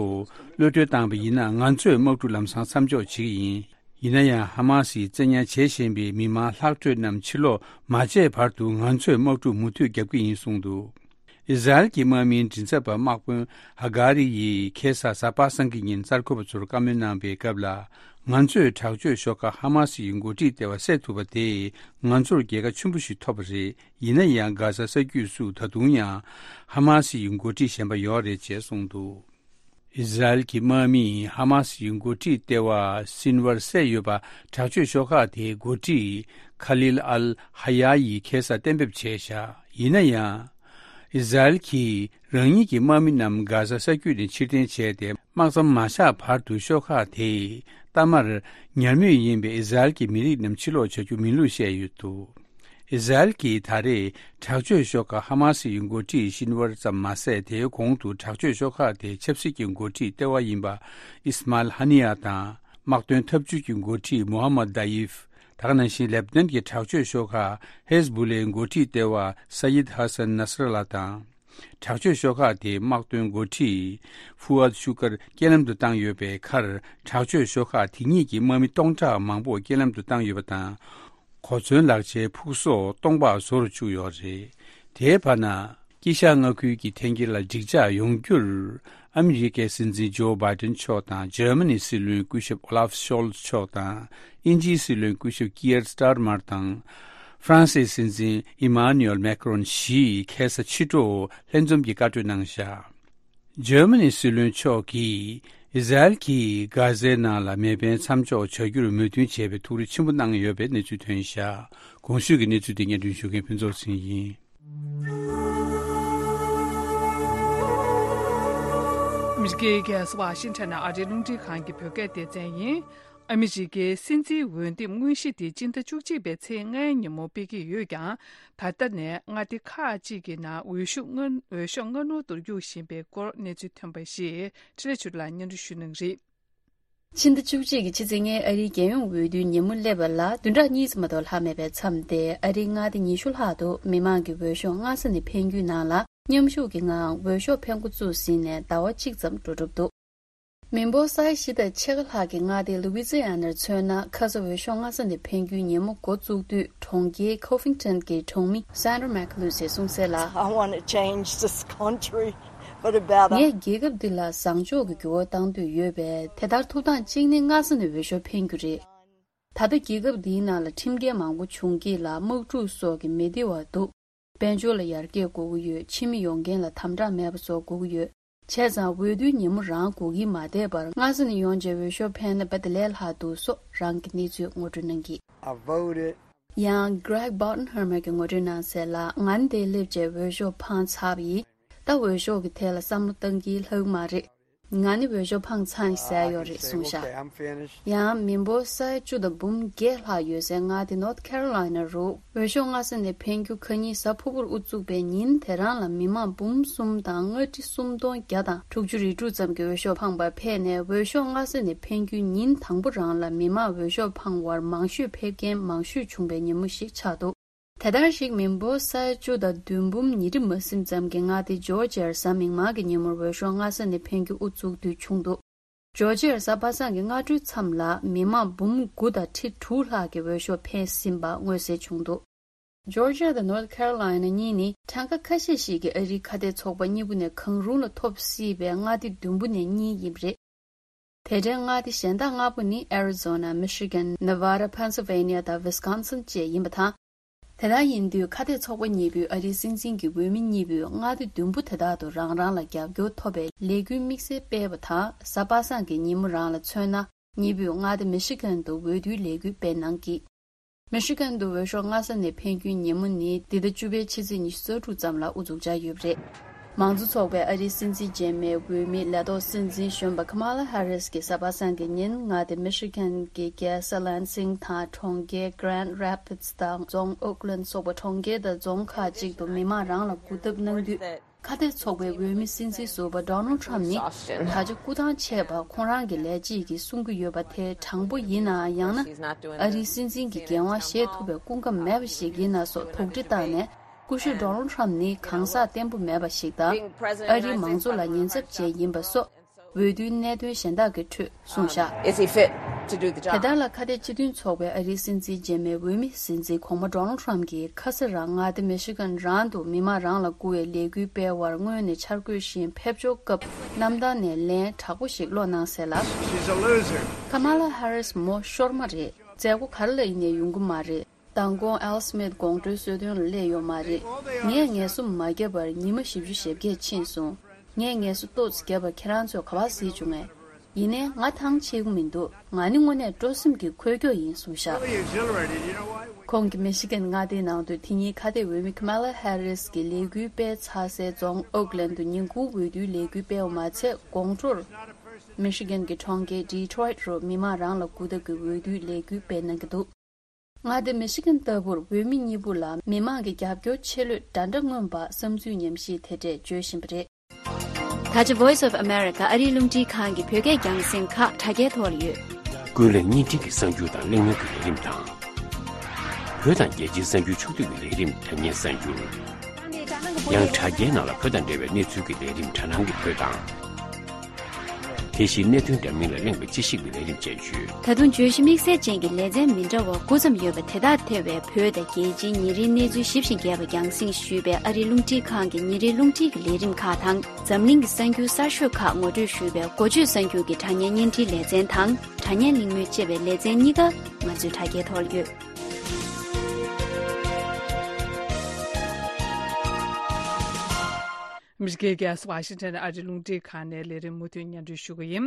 གློད་གྲོལ་བཏང་པ་ཡིན་ན། ང་ཚོས་དམག་འཁྲུག་ལམ་སང་མཚམས་འཇོག་བྱེད་ཀྱི་ཡིན། ཡིན་ན་ཡང་། ཧ་མ་སིས་བཙན་ཉར་བྱེད་བཞིན་པའི་མི་མང་ལྷག་འཕྲོས་རྣམས་ཕྱིར་ལོག་མ་བྱས་བར་དུ། ང་ཚོས་དམག་འཁྲུག་མུ་མཐུད་རྒྱག་གི་ཡིན་གསུངས་འདུག། ཨི་ཟ་རེལ་གྱི་དམག་མིའི་མགྲིན་ཚབ་པ་དམག་དཔོན་ཧ་གྷ་རི་ཡིས་ཁ་སང་གཟའ་པ་སངས་ཀྱི་ཉིན་གསར་འགོད་པ་ཚོར་བཀའ་མོལ་གནང་པའི་སྐབས་ལ། ང་ཚོས་དྲག་སྤྱོད་ཤོག་ཁག་ཧ་མ་སི་ཡི་འགོ་ཁྲིད་ལྟེ་བ་བསད་ཐུབ་པ་དེས་ང་ཚོར་རྒྱལ་ཁ་ཆེན་པོ་ཞིག་ཐོབ་པ་རེད། ཡིན་ན་ཡང་། གྷ་ཟ་ས་རྒྱུད་སུ་ད་དུང་ཡང་ཧ་མ་སི་ཡི་འགོ་ཁྲིད་གཞན་པ་ཡོད་རེད་ཅེས་གསུངས་འདུག། ཨི་ཟ་རེལ་གྱི་དམག་མིས་ཧ་མ་སི་ཡི་འགོ་ཁྲིད་ལྟེ་བ་སིན་ཝར་བསད་ཡོད་པ། དྲག་སྤྱོད་ཤོག་ཁག་དེའི་འགོ་ཁྲིད་ཁ་ལིལ་ཨལ་ཧ་ཡ་ཡིས་ཁ་སང་གཏན་འབེབས་བྱས་བཞག། ཡིན་ན་ཡང་། ཨི་ཟ་རེལ་གྱིས་རང་ཉིད་ཀྱི་དམག་མི་རྣམས་གྷ་ཟ་ས་རྒྱུད་ནས་ཕྱིར་འཐེན་བྱས་ཏེ། དམག་མཚམས་མ་བཞག་བར་དུ་ཤོག་ཁག་དེས་གཏའ་མར་ཉར་མུས་ཡིན་པའི་ཨི་ཟ་རེལ་གྱི་མི་རིགས་རྣམས་ཕྱིར་ལོག་བྱ་རྒྱུ་མིན་ལུགས་བཤད་ཡོད་འདུག། ཨི་ཟ་རེལ་གྱིས་ད་རེས་དྲག་སྤྱོད་ཤོག་ཁག་ཧ་མ་སི་ཡི་འགོ་ཁྲིད་ཤིན་ཝར་ཙམ་མ་ཟད། དེའི་གོང་དུ་དྲག་སྤྱོད་ཤོག་ཁག་དེའི་ཆབ་སྲིད་ཀྱི་འགོ་ཁྲིད་ལྟེ་བ་ཡིན་པ་ཨིས་མཱལ་ཧ་ནི་ཡ་དང་། དམག་དོན་འཐབ་ཇུས་ཀྱི་འགོ་ཁྲིད་མུ་ཧམ་མད་དཱ་ཡིབ། ད་ག་ནང་བཞིན་ལེབ་ནན་གྱི་དྲག་སྤྱོད་ཤོག་ཁག་ཧེ་ཟ་བུ་ལའི་འགོ་ཁྲིད་ལྟེ་བ་ས་ཡིད་ཧ་སན་ནཱ་སི་ར་ལ་དང་། དྲག་སྤྱོད་ཤོག་ཁག་དེའི་དམག་དོན་འགོ་ཁྲིད་ཧྥུ་ཨད་ཤུ་ཀར་རྐྱེན་ལམ་དུ་བཏང་ཡོད་པའི་ཁར། དྲག་སྤྱོད་ཤོག་ཁག་དེ་གཉིས་ཀྱི་དམག་མི་སྟོང་ཕྲག་མང་པོ་རྐྱེན་ལམ་དུ་བཏང་ཡོད་པ་དང་། གོ་མཚོན་ལག་ཆའི་ཕུག་སོགས་སྟོང་པ་བཟོ་རུ་བཅུག་ཡོད་རེད། དེའི་བར་ན། དཀྱིལ་ཤར་མངའ་ཁུལ་གྱི་འཐེན་འཁྱེར་ལ་འགྲིག་འཇགས་ཡོང་རྒྱུར། ཨ་མི་རི་ཀའི་སྲིད་འཛིན་ཇོ་བྷའི་ཌེན་མཆོག་དང་འཇར་མ་ནིའི་སྲིད་བློན་སྐུ་ཞབས་ཨོ་ལཱབ་ཤོལ་ཚ་མཆོག་དང་། དབྱིན་ཇིའི་སྲིད་བློན་སྐུ་ཞབས་ཀི་ཡར་སི་ཏར་མར་དང་། ཧྥ་རན་སིའི་སྲིད་འཛིན་ཨི་མཱ་ནུ་ཨེལ་མེ་ཀ་རོན་བཞི་ཡིས་ཁ་སང་ཕྱི་དྲོ་ལྷན་འཛོམས་ཀྱི་བཀའ་གྲོས་གནང་བཞག་འཇར་མ་ནིའི་སྲིད་བློན་མཆོག་གིས་ཨི་ཟ་རེལ་གྱིས་གྷ་ཟའི་ནང་ལ་མེ་འཕེན་མཚམས་འཇོག་བྱ་རྒྱུར་མོས་མཐུན་བྱས་པའི་ཐུགས་རེ་ཆེན་པོ་གནང་ཡོད་པའི་གནས་ཚུལ་ཐོན་བཞག་གོང་ཞུས་ཀྱི་གནས་ཚུལ་དེ་སྙན་སྒྲོན་ཞུ་མཁན་ཕུན་ཚོགས་ཚེ་རིང་ཡིན། ཨ་མི་རི་ཀའི་རྒྱལ་ས་ཝ་ཤིང་ཊོན་ནས་ཨ་རིའི་རླུང་འཕྲིན་ཁང་གི་བོད་སྐད་སྡེ་ཚན་ཡིན། ཨ་མི་རི་ཀའི་སྲིད་འཛིན་འོས་འདེམས་དངོས་གཞི་དེ་སྤྱི་ཟླ་བཅུ་གཅིག་པའི་ཚེས་ལྔའི་ཉིན་མོ་སྤེལ་གྱི་ཡོད་ཀྱང་། ད་ལྟ་ནས་མངའ་སྡེ་ཁག་ཅིག་གི་ནང་འོས་ཤོག་སྔ་འོས་ཤོག་སྔ་སྣུར་དུ་གཡུག་བཞིན་པའི་སྐོར་གནས་ཚུལ་ཐོན་པ་ཞིག་འཕྲིན་ལས་ཆོས་སྒྲོན་ལགས་སྙན་སྒྲོན་ཞུ་གནང་གི་རེད། ཕྱི་ཟླ་བཅུ་གཅིག་གི་ཕྱི་ཚེས་ལྔའི་ཨ་རིའི་རྒྱལ་ཡོངས་འོས་བསྡུའི་ཉིན་མོ་སླེབས་པ་ལ་བདུན་ཕྲག་གཉིས་ཙམ་མ་གཏོགས་ལྷག་མེད་པའི་མཚམས་ཏེ། ཨ་རིའི་མངའ་སྡེ་ཉི་ཤུ་ལྷག་ཏུ་མི་མང་གིས་འོས་ཤོག་སྔ་ས་ནས་འཕེན་རྒྱུའི་ནང་ལ་མཉམ་ཞུགས་ཀྱི་ངང་འོས་ཤོག་འཕེན་འགོ་བཙུགས་ཟིན་ནས་ཟླ་བ་གཅིག་ཙམ་འགྲོ་གྲབས་འདུག་མི་འབོར་ས་ཡ་བཞི་དང་ཕྱེད་ཀ་ལྷག་གི་མངའ་སྡེ་ལུ་ཝི་ཛི་ཡ་ནར་མཚོན་ན། ཁ་སང་འོས་ཤོག་སྔ་ས་ནས་འཕེན་རྒྱུའི་ཉིན་མོ་འགོ་བཙུགས་དུས། གྲོང་ཁྱེར་ཀོ་ཕིང་ཊོན་གྱི་གྲོང་མི་སན་ཌར་མེག་ལུས་ཡིས་གསུངས་གསལ་ལ། I want to change this country, but about a- ངས་རྒྱལ་ཁབ་འདི་ལ་བཟང་ཕྱོགས་ཀྱི་འགྱུར་བ་གཏང་འདོད་ཡོད་པས། དེ་ལྟར་ཐུགས་དང་གཅིག་ནི་སྔ་ས་ནས་འོས་ཤོག་འཕེན་རྒྱུ་རེད། ད་ལྟ་རྒྱལ་ཁབ་འདིའི་ནང་ལ་ཁྲིམས་འགལ་མང་པོ་བྱུང་སྐྱེས་ལ་དམག་འཁྲུག་སོགས་ཀྱི་མི་བདེ་བ་འདུག་དཔལ་འབྱོར་ལ་ཡར་རྒྱས་དགོས་ཀྱི་ཡོད། ཕྱི་མི་ཡོང་མཁན་ལ་དམ་དྲག་མེད་པ་བཟོ་དགོས་ཀྱི་ཡོད། བྱས་ཙང་འོས་བསྡུའི་ཉིན་མོ་རང་སྒུག་གིན་མ་བསྡད་པར། སྔ་ས་ནས་ཡོང་བྱས་འོས་ཤོག་འཕེན་ན་དཔེ་དེ་ལས་ལྷག་འདུག་སོགས་རང་གི་གནས་ཚུལ་ངོ་སྤྲོད་གནང་གིས། I voted. ཡང་Greg Bottenheimer གྱིས་ངོ་སྤྲོད་གནང་གསལ་ལ། ང་ནི་འདིར་སླེབས་བྱས་འོས་ཤོག་འཕངས་ཚར་བ་ཡིན། ད་འོས་ཤོག་གི་ཐད་ལ་བསམ་བློ་གཏང་གིན་ལྷག་མ་རེད། ང་ནི་འོས་ཤོག་འཕངས་ཚར་ཡིན་ཟེར་ཡོད་རེད་གསུངས་བཞག་ཡང་མི་འབོར་ས་ཡ་བཅུ་དང་འབུམ་བརྒྱད་ལྷག་ཡོད་སའི་མངའ་སྡེ་North Carolina རུ་འོས་ཤོག་སྔ་ས་ནས་འཕེན་རྒྱུ་ཁ་ཉིན་གཟའ་ཕུར་བུར་དབུ་བཙུགས་པའི་ཉིན་དེ་རང་ལ་མི་མང་འབུམ་གསུམ་དང་ལྔ་ཁྲི་སུམ་སྟོང་བརྒྱ་དང་དྲུག་ཅུ་རེ་དྲུག་ཙམ་གྱིས་འོས་ཤོག་འཕངས་པར་ཕེབས་ནས། འོས་ཤོག་སྔ་ས་ནས་འཕེན་རྒྱུའི་ཉིན་དང་པོ་རང་ལ་མི་མང་འོས་ཤོག་འཕངས་པར་མང་ཤོས་ཕེབས་མཁན་མང་ཤོས་བྱུང་བའི་ཉིན་མོ་ཞིག་ཆགས་འདུག་དེ་ལྟར་ཞིག་མི་འབོར་ས་ཡ་བཅུ་དང་བདུན་འབུམ་ཉིས་ཁྲི་མ་ཟིན་ཙམ་གྱི་མངའ་སྡེ་ཇོར་ཇི་ཡར་གཟའ་མིག་དམར་གྱི་ཉིན་མོར་འོས་ཤོག་སྔ་ས་ནས་འཕེན་རྒྱུ་དབུ་བཙུགས་དུས་བྱུང་འདུག་ཇོར་ཇི་ཡར་གཟའ་པ་སངས་ཀྱི་སྔ་དྲོའི་མཚམས་ལ་མི་མང་འབུམ་དགུ་དང་ཁྲི་དྲུག་ལྷག་གིས་འོས་ཤོག་འཕེན་ཟིན་པ་མངོན་གསལ་བྱུང་འདུག་ཇོར་ཇི་ཡ་དང་North Carolina གཉིས་ནི་གྲངས་ཀ་ཁ་ཤས་ཤིག་གིས་ཨ་རིའི་ཁ་གཏད་ཚོགས་པ་གཉིས་པོ་ནས་གང་རུང་ལ་ཐོབ་སྲིད་པའི་མངའ་སྡེ་བདུན་པོ་ནས་གཉིས་ཡིན་པ་རེད། དེ་འདྲའི་མངའ་སྡེ་གཞན་དག་ལྔ་པོ་ནི་Arizona, Michigan, Nevada, Pennsylvania དང་Wisconsin བཅས་ཡིན་པ་དང་། དེ་ལྟར་ཡིན་དུས་ཁ་གཏད་ཚོགས་པ་གཉིས་པོས་ཨ་རིའི་སྲིད་འཛིན་གྱི་འོས་མི་གཉིས་པོས་མངའ་སྡེ་བདུན་པོ་དེ་དག་ཏུ་རང་རང་ལ་རྒྱབ་སྐྱོར་ཐོབ་པའི་ལས་འགུལ་དམིགས་བསལ་སྤེལ་བ་དང་། གཟའ་པ་སངས་ཀྱི་ཉིན་མོ་རང་ལ་མཚོན་ན། གཉིས་པོས་མངའ་སྡེ་Michigan དུ་འོས་བསྡུའི་ལས་འགུལ་སྤེལ་གནང་གིས། Michigan དུ་འོས་ཤོག་སྔ་ས་ནས་འཕེན་རྒྱུའི་ཉིན་མོ་ནི་འདི་ཟླ་བཅུ་པའི་ཕྱི་ཚེས་ཉི་ཤུ་རྩ་དྲུག་ཙམ་ལ་དབུ་འཛུགས་འཆར་ཡོད་པ་རེད། མང་གཙོ་ཚོགས་པའི་ཨ་རིའི་སྲིད་འཛིན་རྗེས་མའི་འོས་མི་ལས་ཐོག་སྲིད་འཛིན་གཞོན་པ་Kamala Harris གྱིས་གཟའ་པ་སངས་ཀྱི་ཉིན་མངའ་སྡེ་Michigan གྱི་རྒྱལ་ས་Lansing དང་གྲོང་ཁྱེར་Grand Rapids དང་རྫོང་Oakland སོགས་པ་གྲོང་ཁྱེར་དང་རྫོང་ཁག་ཅིག་ཏུ་མི་མང་རང་ལ་སྒུག་ཐབས་གནང་དུས། ཁ་གཏད་ཚོགས་པའི་འོས་མི་སྲིད་འཛིན་ཟུར་པ་Donald Trump ནི་ད་ཆ་སྐུ་ཐང་ཆད་པ་ཁོང་རང་གི་ལས་བྱེད་ཀྱིས་གསུང་གི་ཡོད་པ་དེ་དྲང་པོ་ཡིན་ནའང་། ཡང་ན་ཨ་རིའི་སྲིད་འཛིན་གྱི་འགན་དབང་བཞེས་ཐུབ་པའི་སྐུ་ཁམས་མེད་པ་ཞིག་ཡིན་ན་སོགས་དོགས་འདྲི་བཏང་ནས། སྐུ་ཞབས་Donald Trump ནི་གང་ཟག་བརྟན་པོ་མེད་པ་ཞིག་དང་། ཨ་རིའི་མང་གཙོ་ལ་ཉེན་ཚབས་ཅན་ཡིན་པ་སོགས། འོས་བསྡུའི་གནད་དོན་གཞན་དག་གི་ཁྲོད་གསུངས་བཞག Is he fit to do the job? དེ་ལྟར་ལ་ཁ་གཏད་སྤྱི་མཐུན་ཚོགས་པའི་ཨ་རིའི་སྲིད་འཛིན་རྗེས་མའི་འོས་མི་སྲིད་འཛིན་གོང་མ་Donald Trump གྱིས་ཁ་ས་རང་མངའ་སྡེ་Michigan རང་དུ་མི་མང་རང་ལ་བསྐུར་བའི་ལས་འགུལ་སྤེལ་བར་སྔོན་ནས་འཆར་འགོད་བཞིན་ཕེབས་འབྱོར་སྐབས་གནམ་ཐང་ནས་ལན་དྲག་པོ་ཞིག་སློག་གནང་གསལ་ལ། She's a loser. Kamala Harris མོ་ཤོར་མ་རེད། མཛད་སྒོ་ག་རེ་ལ་ཡིན་ནའི་ཡོང་གི་མ་རེད། མདང་དགོང་Al Smith དགོང་དྲོའི་གསོལ་སྟོན་ལ་སླེབས་ཡོད་མ་རེད། ངས་ངལ་གསོ་མ་བརྒྱབ་པར་ཉི་མ་བཞི་བཅུ་ཞེ་བརྒྱད་ཕྱིན་སོང་། ངས་ངལ་གསོ་ཏོག་ཙམ་བརྒྱབ་པ་ཁྱེད་རང་ཚོས་ག་པར་གཟིགས་བྱུང་ངས། ཡིན་ནའི་ང་ཐང་ཆད་ཀྱི་མི་འདུག་ང་ནི་དངོས་གནས་སྤྲོ་སེམས་ཀྱིས་འཁོལ་རྒྱུ་ཡིན་གསུངས་བཞག Really exhilarated, you know why? ཁོང་གིས་མི་ཤི་གན་མངའ་སྡེའི་ནང་དུ་དེ་ཉིན་ཁ་གཏད་འོས་མི་Kamala Harris གྱི་ལས་འགུལ་སྤེལ་ཚར་སའི་རྫོང་Oakland དུ་ཉིན་གུང་འོས་བསྡུའི་ལས་འགུལ་སྤེལ་བ་མ་ཚད། དགོང་དྲོར་མི་ཤི་གན་གྱི་གྲོང་ཁྱེར་Detroit རུ་མི་མང་རང་ལ་སྒུག་ཐབས་ཀྱི་འོས་བསྡུའི་ལས་འགུལ་སྤེལ་གནང་གི་འདུག་མངའ་སྡེ་མི་ཤི་གན་ལྟ་བུར་བོད་མི་གཉིས་པོ་ལ་མི་མང་གི་རྒྱབ་སྐྱོར་ཆེ་ལོས་འདྲ་འདྲ་མངོན་པ་བསམ་ཚུལ་ཉམས་ཞིབ་དེ་འདྲས་བརྗོད་བཞིན་པ་རེད། ད་ཆ་Voice of America ཨ་རིའི་རླུང་འཕྲིན་ཁང་གི་བོད་སྐད་རྒྱང་སྲིང་ཁག་དྲ་རྒྱའི་ཐོག་ལ་ཡོད། ཀུན་གླེང་བརྙན་འཕྲིན་གྱི་གསར་འགྱུར་དང་གླེང་མོལ་གྱི་ལས་རིམ་དང་། བོད་དང་རྒྱལ་སྤྱིའི་གསར་འགྱུར་ཕྱོགས་བསྡུས་ཀྱི་ལས་རིམ་དྲ་བརྙན་གསར་འགྱུར། ཡང་དྲ་རྒྱའི་ནང་ལ་བོད་དང་འབྲེལ་བའི་གནས་ཚུལ་གྱི་ལས་རིམ་དྲ་སྣང་གི་བོད་དང་། དེ་བཞིན་གནད་དོན་འདྲ་མིན་ལ་གླེང་བའི་དཔྱད་ཞིབ་ཀྱི་ལས་རིམ་བཅས་ཡོད། ད་དུང་བརྗོད་གཞི་དམིགས་བསལ་ཅན་གྱི་ལེ་ཚན་མི་འདྲ་བ་དགུ་ཙམ་ཡོད་པ་དེ་དག་ཐེ་བའི་བོད་དང་རྒྱལ་སྤྱིའི་ཉིན་རེའི་གནས་ཚུལ་ཞིབ་ཅིང་རྒྱས་པ་རྒྱང་སྲིང་ཞུས་པའི་ཨ་རིའི་རླུང་འཕྲིན་ཁང་གི་ཉིན་རེའི་རླུང་འཕྲིན་གྱི་ལས་རིམ་ཁག་དང་། འཛམ་གླིང་གི་གསར་འགྱུར་གསར་ཤོས་ཁག་ངོ་སྤྲོད་ཞུས་པའི་འགོ་བརྗོད་གསར་འགྱུར་གྱི་དྲ་བརྙན་བརྙན་འཕྲིན་ལེ་ཚན་དང་། དྲ་བརྙན་གླེང་མོལ་ཅེས་པའི་ལེ་ཚན་གཉིས་ཀ་ང་ཚོའི་དྲ་རྒྱའི་ཐོག་ལ་ཡོད། ཨ་མི་རི་ཀའི་རྒྱལ་ས་ཝ་ཤིང་ཊོན་ཨ་རིའི་རླུང་འཕྲིན་ཁང་ནས་ལས་རིམ་མུ་མཐུད་སྙན་སྒྲོན་ཞུ་གི་ཡིན།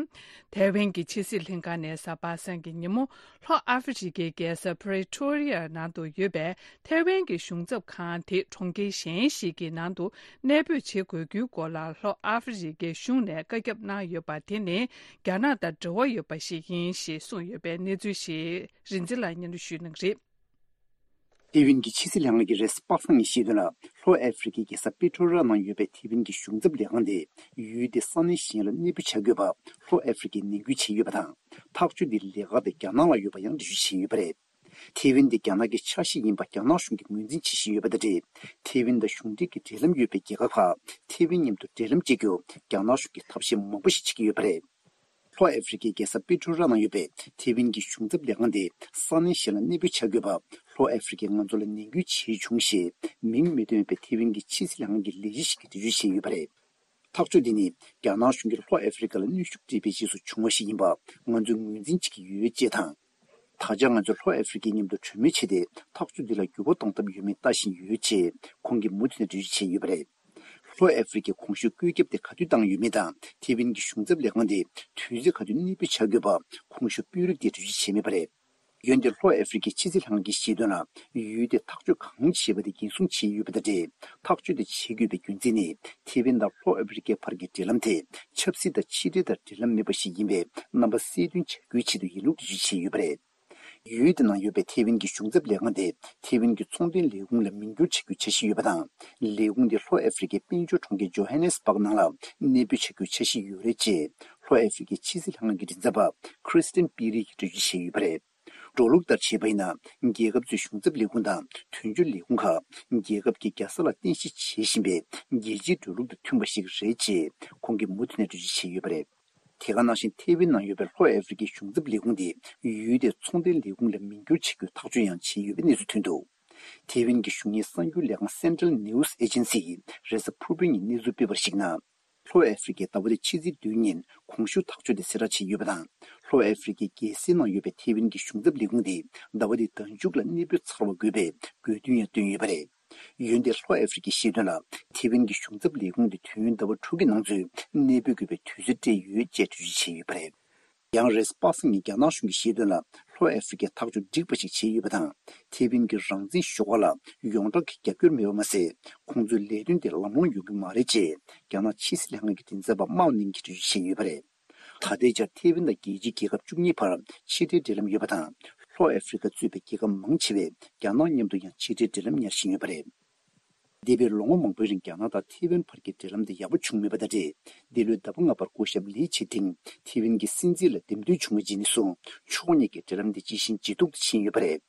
ཐའེ་ཝན་གྱི་ཕྱི་སྲིད་ལྷན་ཁང་ནས་གཟའ་པ་སངས་ཀྱི་ཉིན་མོ། ལྷོ་ཨ་ཧྥེ་རི་ཁའི་རྒྱལ་ས་Pretoria ནང་དུ་ཡོད་པའི་ཐའེ་ཝན་གྱི་གཞུང་ཚབ་ཁང་དེ་གྲོང་ཁྱེར་གཞན་ཞིག་གི་ནང་དུ་གནས་སྤོས་བྱེད་དགོས་རྒྱུའི་སྐོར་ལ་ལྷོ་ཨ་ཧྥེ་རི་ཁའི་གཞུང་ནས་བཀའ་ཁྱབ་གནང་ཡོད་པ་དེ་ནི་རྒྱ་ནག་དང་འབྲེལ་བ་ཡོད་པ་ཞིག་ཡིན་ཞེས་གསུངས་ཡོད་པའི་གནས་ཚུལ་ཞིག་རིག་འཛིན་ལགས་སྙན་སྒྲོན་ཞུ་གནང་གི་རེད། ཐའེ་ཝན་གྱི་ཕྱི་སྲིད་ལྷན་ཁང་གིས་རེས་གཟའ་པ་སངས་ཉིན་བཤད་དོན་ལ། ལྷོ་ཨ་ཧྥེ་རི་ཁའི་རྒྱལ་ས་པི་ཊོ་ར་ནང་ཡོད་པའི་ཐའེ་ཝན་གྱི་གཞུང་ཚབ་ལས་ཁང་དེ་ཡུལ་དེའི་ས་གནས་གཞན་ལ་གནས་སྤོས་བྱ་དགོས་པ་ལྷོ་ཨ་ཧྥེ་རི་ཁས་ནན་སྐུལ་བྱས་ཡོད་པ་དང་། ཐག་གཅོད་འདི་ལས་ཀ་དེ་རྒྱ་ནག་ལ་ཡོད་པ་ཡང་འགྲེལ་བརྗོད་བྱས་ཡོད་པ་རེད། ཐའེ་ཝན་དེ་རྒྱ་ནག་གི་ཆ་ཤས་ཡིན་པ་རྒྱ་ནག་གཞུང་གིས་ངོས་འཛིན་བྱེད་བཞིན་ཡོད་པ་དང་འབྲེལ། ཐའེ་ཝན་དང་གཞུང་འབྲེལ་གྱི་འབྲེལ་ལམ་ཡོད་པའི་རྒྱལ་ཁབ་ཁག་ཐའེ་ཝན་མཉམ་དུ་འབྲེལ་ལམ་བཅད་རྒྱུར་རྒྱ་ནག་གཞུང་གིས་ཐབས་ཤེས་མང་པོ་ཞིག་བྱེད་ཀྱི་ཡོད་པ་རེད། ལྷོ་ཨ་ཧྥེ་རི་ཁའི་རྒྱལ་ས་པི་ཊོ་ར་ནང་ཡོད་པའི་ཐའེ་ཝན་གྱི་གཞུང་ཚབ་ལས་ཁང་དེ་ས་གནས་གཞན་ལ་གནས་སྤོས་བྱ་དགོས་པ་ལྷོ་ཨ་ཧྥེ་རི་ཁས་ང་ཚོ་ལ་ནན་སྐུལ་བྱས་བྱུང་ཞེས་མིང་མི་ཐོན་པའི་ཐའེ་ཝན་གྱི་ཕྱི་སྲིད་ལྷན་ཁང་གི་ལས་བྱེད་ཞིག་གིས་འགྲེལ་བརྗོད་བྱས་ཡོད་པ་རེད། ཐག་གཅོད་འདི་ནི་རྒྱ་ནག་གཞུང་གིས་ལྷོ་ཨ་ཧྥེ་རི་ཁ་ལ་གནོན་ཤུགས་སྤྲད་པའི་རྗེས་སུ་བྱུང་བ་ཞིག་ཡིན་པ་ང་ཚོས་ངོས་འཛིན་བྱེད་ཀྱི་ཡོད་ཅེས་དང་། ད་ཆ་ང་ཚོས་ལྷོ་ཨ་ཧྥེ་རི་ཁའི་མཉམ་དུ་གྲོས་མོལ་བྱས་ཏེ་ཐག་གཅོད་འདི་ལ་འགྱུར་བ་གཏོང་ཐབས་ཡོད་མེད་ལྟ་བཞིན་ཡོད་ཅེས་ཁོང་གིས་མུ་མཐུད་ནས་འགྲེལ་བརྗོད་བྱས་ཡོད་པ་རེད། ལྷོ་ཨ་ཧྥེ་རི་ཁས་གོང་ཞུས་བཀོད་ཁྱབ་དེ་ག་དུས་བཏང་ཡོད་མེད་དང་ཐའེ་ཝན་གྱི་གཞུང་ཚབ་ལས་ཁང་དེ་དུས་ཚོད་ག་དུས་གནས་སྤོས་བྱ་དགོས་པ་གོང་ཞུས་དཔོན་རིགས་དེས་འགྲེལ་བརྗོད་བྱས་མེད་པ་རེད། འོན་ཏེ་ལྷོ་ཨ་ཧྥེ་རི་ཁའི་ཕྱི་སྲིད་ལྷན་ཁང་གིས་བཤད་དོན་ལ་ཡུལ་དེས་ཐག་གཅོད་གང་བྱས་པ་དེ་འགན་སྲུང་བྱས་ཡོད་པ་དང་འབྲེལ་ཐག་གཅོད་དེ་བྱེད་དགོས་པའི་རྒྱུ་མཚན་ནི་ཐའེ་ཝན་དང་ལྷོ་ཨ་ཧྥེ་རི་ཁའི་བར་གྱི་འབྲེལ་ལམ་དེ་ཆབ་སྲིད་དང་ཕྱི་འབྲེལ་དང་འབྲེལ་ལམ་མེད་པ་ཞིག་ཡིན་པའི་རྣམ་པ་གསལ་སྟོན་བྱ་རྒྱུའི་ཆེད་དུ་ཡིན་ལུགས་འགྲེལ་བརྗོད་བྱས་ཡོད་པ་རེད། ཡུལ་དེ་ནང་ཡོད་པའི་ཐའེ་ཝན་གྱི་གཞུང་ཚབ་ལས་ཁང་དེ་ཐའེ་ཝན་གྱི་ཚོང་དོན་ལས་ཁུངས་ལ་མིང་བསྒྱུར་བྱ་རྒྱུའི་འཆར་གཞི་ཡོད་པ་དང་། ལས་ཁུངས་དེ་ལྷོ་ཨ་ཧྥེ་རི་ཁའི་དཔལ་འབྱོར་གྲོང་ཁྱེར་ཇོ་ཧན་ནེ་སི་སྦག་ནང་ལ་གནས་སྤོས་བྱ་རྒྱུའི་འཆར་གཞི་ཡོད་རེད་ཅེས་ལྷོ་ཨ་ཧྥེ་རི་ཁའི་ཕྱི་སྲིད་ལྷན་ཁང་གི་མགྲིན་ཚབ་པ་ཁྲི་སི་ཏན་པི་རི་ཡིས་འགྲེལ་བརྗོད་བྱས་ཡོད་པ་རེད། འགྲོ་ལུགས་ལྟར་བྱས་པ་ཡིན་ན། རྒྱལ་ཁབ་ཚོའི་གཞུང་ཚབ་ལས་ཁུངས་དང་དོན་གཅོད་ལས་ཁུངས་ཁག་རྒྱལ་ཁབ་ཀྱི་རྒྱལ་ས་ལ་རྟེན་གཞི་བྱེད་བཞིན་པའི་རྒྱལ་སྤྱིའི་འགྲོ་ལུགས་དང་མཐུན་པ་ཞིག་རེད་ཅེས་ཁོང་གིས་མུ་མཐུད་ནས་འགྲེལ་བརྗོད་བྱས་ཡོད་པ་རེད། དེ་ག་ནང་བཞིན་ཐའེ་ཝན་ནང་ཡོད་པའི་ལྷོ་ཨ་ཧྥེ་རི་ཁའི་གཞུང་ཚབ་ལས་ཁུངས་དེ་ཡུལ་དེའི་ཚོང་དོན་ལས་ཁུངས་ལ་མིང་བསྒྱུར་བྱེད་རྒྱུའི་ཐག་གཅོད་ཡང་བྱས་ཡོད་པའི་གནས་ཚུལ་ཐོན་འདུག་ཐའེ་ཝན་གྱི་གཞུང་གཉེར་གསར་འགྱུར་ལས་ཁང་Central News Agency ཡིས་རེས་གཟའ་ཕུར་བུའི་ཉིན་གནས་ཚུལ་སྤེལ་བར་གཞིགས་ན། ལྷོ་ཨ་ཧྥེ་རི་ཁས་ཟླ་བ་འདིའི་ཕྱི་ཚེས་བདུན་ཉིན་གོང་ཞུས་ཐག་གཅོད་དེ་གསལ་བསྒྲགས་བྱས་ཡོད་པ་དང་། ལྷོ་ཨ་ཧྥེ་རི་ཁའི་རྒྱལ་སའི་ནང་ཡོད་པའི་ཐའེ་ཝན་གྱི་གཞུང་ཚབ་ལས་ཁུངས་དེ་ཟླ་བ་འདིའི་ཟླ་མཇུག་ལ་གནས་སྤོས་ཚར་བ་དགོས་པའི་དགོས་འདུན་ཡང་བཏོན་ཡོད་པ་རེད། འོན་ཏེ་ལྷོ་ཨ་ཧྥེ་རི་ཁས་བཤད་དོན་ལ། ཐའེ་ཝན་གྱི་གཞུང་ཚབ་ལས་ཁུངས་དེ་དུས་ཡུན་ཟླ་བ་དྲུག་གི་ནང་ཚུད་གནས་སྤོས་དགོས་པའི་དུས་ཚོད་སྤྲད་ཡོད་ཅེས་འགྲེལ་བརྗོད་བྱས་ཡོད་པ་རེད། ཡང་རེས་གཟའ་པ་སངས་ཉིན་རྒྱ་ནག་གཞུང་གིས་བཤད་དོན་ལ། ལྷོ་ཨ་ཧྥེ་རི་ཁས་ཐག་གཅོད་འགྲིག་པ་ཞིག་བྱས་ཡོད་པ་དང་། ཐའེ་ཝན་གྱི་རང་བཙན་ཤོག་ཁག་ལ་ཡོངས་གྲགས་ཀྱི་རྒྱབ་སྐྱོར་མེད་པ་མ་ཟད། ཁོང་ཚོའི་ལས་དོན་དེ་ལམ་ལྷོང་ཡོང་གི་མ་རེད་ཅེས་རྒྱ་ནག་ཕྱི་སྲིད་ལྷན་ཁང་གི་མགྲིན་ཚབ་པ་མའོ་ནིང་གིས་འགྲེལ་བརྗོད་བྱས་ཡོད་པ་རེད། ད་ལྟའི་ཆར་ཐའེ་ཝན་དང་རྒྱལ་སྤྱིའི་རྒྱལ་ཁབ་བཅུ་གཉིས་བར་ཕྱི་འབྲེལ་འབྲེལ་ལམ་ཡོད་པ་དང་། ལྷོ་ཨ་ཧྥེ་རི་ཁ་གཙོས་པའི་རྒྱལ་ཁབ་མང་ཆེ་བས་རྒྱ་ནག་མཉམ་དུ་ཡང་ཕྱི་འབྲེལ་འབྲེལ་ལམ་ཉར་བཞིན་ཡོད་པ་རེད། འདས་པའི་ལོ་ངོ་མང་པོའི་རིང་རྒྱ་ནག་དང་ཐའེ་ཝན་བར་གྱི་འབྲེལ་ལམ་དེ་ཡག་པོ་བྱུང་མེད་པ་དང་འབྲེལ། འདི་ལོའི་ཟླ་བ་ལྔ་པར་སྐུ་ཞབས་ལི་ཆི་ཐིང་ཐའེ་ཝན་གྱི་སྲིད་འཛིན་ལ་འདེམས་ཐོན་བྱུང་བའི་རྗེས་ནས་བཟུང་ཕྱོགས་གཉིས་ཀྱི་འབྲེལ་ལམ་དེ་ཇེ་ཞན་ཇེ་སྡུག་ཏུ་ཕྱིན་ཡོད་པ་རེད།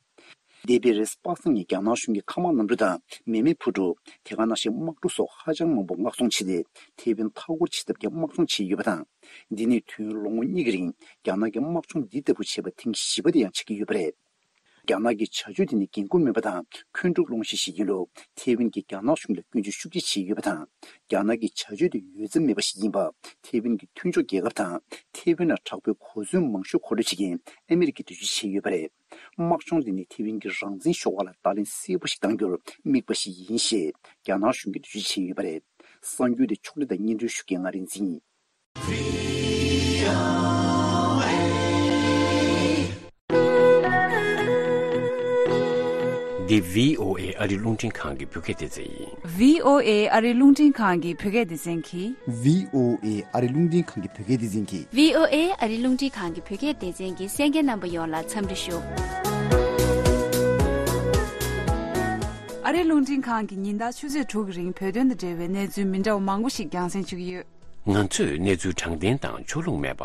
འདས་པའི་རེས་གཟའ་པ་སངས་ཉིན་རྒྱ་ནག་གཞུང་གིས་མཁའ་དམག་གནམ་གྲུ་དང་མེ་མེད་འཕུར་གྲུ། དེ་ག་ནང་བཞིན་དམག་གྲུ་སོགས་ཧ་ཅང་མང་པོ་མངགས་གཏོང་བྱས་ཏེ་ཐའེ་ཝན་མཐའ་སྐོར་བྱེད་ཐབས་ཀྱི་དམག་སྦྱོང་བྱས་ཡོད་པ་དང་། འདི་ནི་དུས་ཡུན་ལོ་ངོ་གཉིས་ཀྱི་རིང་རྒྱ་ནག་གིས་དམག་སྦྱོང་འདི་ལྟ་བུ་བྱས་པ་ཐེངས་བཞི་པ་དེ་ཡང་ཆགས་ཀྱི་ཡོད་པ་རེད། རྒྱ་ནག་གི་བྱ་སྤྱོད་དེ་ནི་འགན་ཁུར་མེད་པ་དང་འཁོན་འཁྲུག་སློང་གཞི་ཞིག་ཡིན་ལུགས་ཐའེ་ཝན་གྱིས་རྒྱ་ནག་གཞུང་ལ་སྐྱོན་བརྗོད་ཤུགས་ཆེ་བྱས་ཡོད་པ་དང་། རྒྱ་ནག་གི་བྱ་སྤྱོད་དེ་ཡོད་ཚད་མེད་པ་ཞིག་ཡིན་པ་ཐའེ་ཝན་གྱི་མཐུན་ཕྱོགས་རྒྱལ་ཁབ་དང་ཐའེ་ཝན་ལ་དྲག་པོའི་གོ་མཚོན་མང་ཤོས་མཁོ་སྤྲོད་བྱེད་མཁན་ཨ་མི་རི་ཀས་འགྲེལ་བརྗོད་བྱས་ཡོད་པ་རེད། དམག་སྦྱོང་དེ་ནི་ཐའེ་ཝན་གྱི་རང་བཙན་ཤོག་ཁག་ལ་བརྡ་ལན་གསལ་པོ་ཞིག་གཏང་རྒྱུར་དམིགས་པ་ཞིག་ཡིན་ཞེས་རྒྱ་ནག་གཞུང་གིས་འགྲེལ་བརྗོད་བྱས་ཡོད་པ་རེད། གསར་འགྱུར་དེ་ཕྱོགས་སྒྲིག་དང་སྙན་སྒྲོན་ཞུ་མཁན་ང་རིག་འཛིན་ཡིན། འདི་བྷི་ཨོ་ཨེ་ཨ་རིའི་རླུང་འཕྲིན་ཁང་གི་བོད་སྐད་སྡེ་ཚན་ཡིན། བྷི་ཨོ་ཨེ་ཨ་རིའི་རླུང་འཕྲིན་ཁང་གི་བོད་སྐད་སྡེ་ཚན་གྱིས། བྷི་ཨོ་ཨེ་ཨ་རིའི་རླུང་འཕྲིན་ཁང་གི་བོད་སྐད་སྡེ་ཚན་གྱིས། བྷི་ཨོ་ཨེ་ཨ་རིའི་རླུང་འཕྲིན་ཁང་གི་བོད་སྐད་སྡེ་ཚན་གྱི་གསན་མཁན་རྣམ་པ་ཡོངས་ལ་འཚམས་འདྲི་ཞུ། ཨ་རིའི་རླུང་འཕྲིན་ཁང་གིས་ཉིན་ལྟར་ཆུ་ཚོད་དྲུག་གི་རིང་བོད་དོན་དང་འབྲེལ་བའི་གནས་ཚུལ་མི་འདྲ་བ་མང་པོ་ཞིག་རྒྱང་སྲིང་ཞུ་གི་ཡོད། ང་ཚོས་གནས་ཚུལ་དྲང་བདེན་དང་ཕྱོགས་ལྷུང་མེད་པ།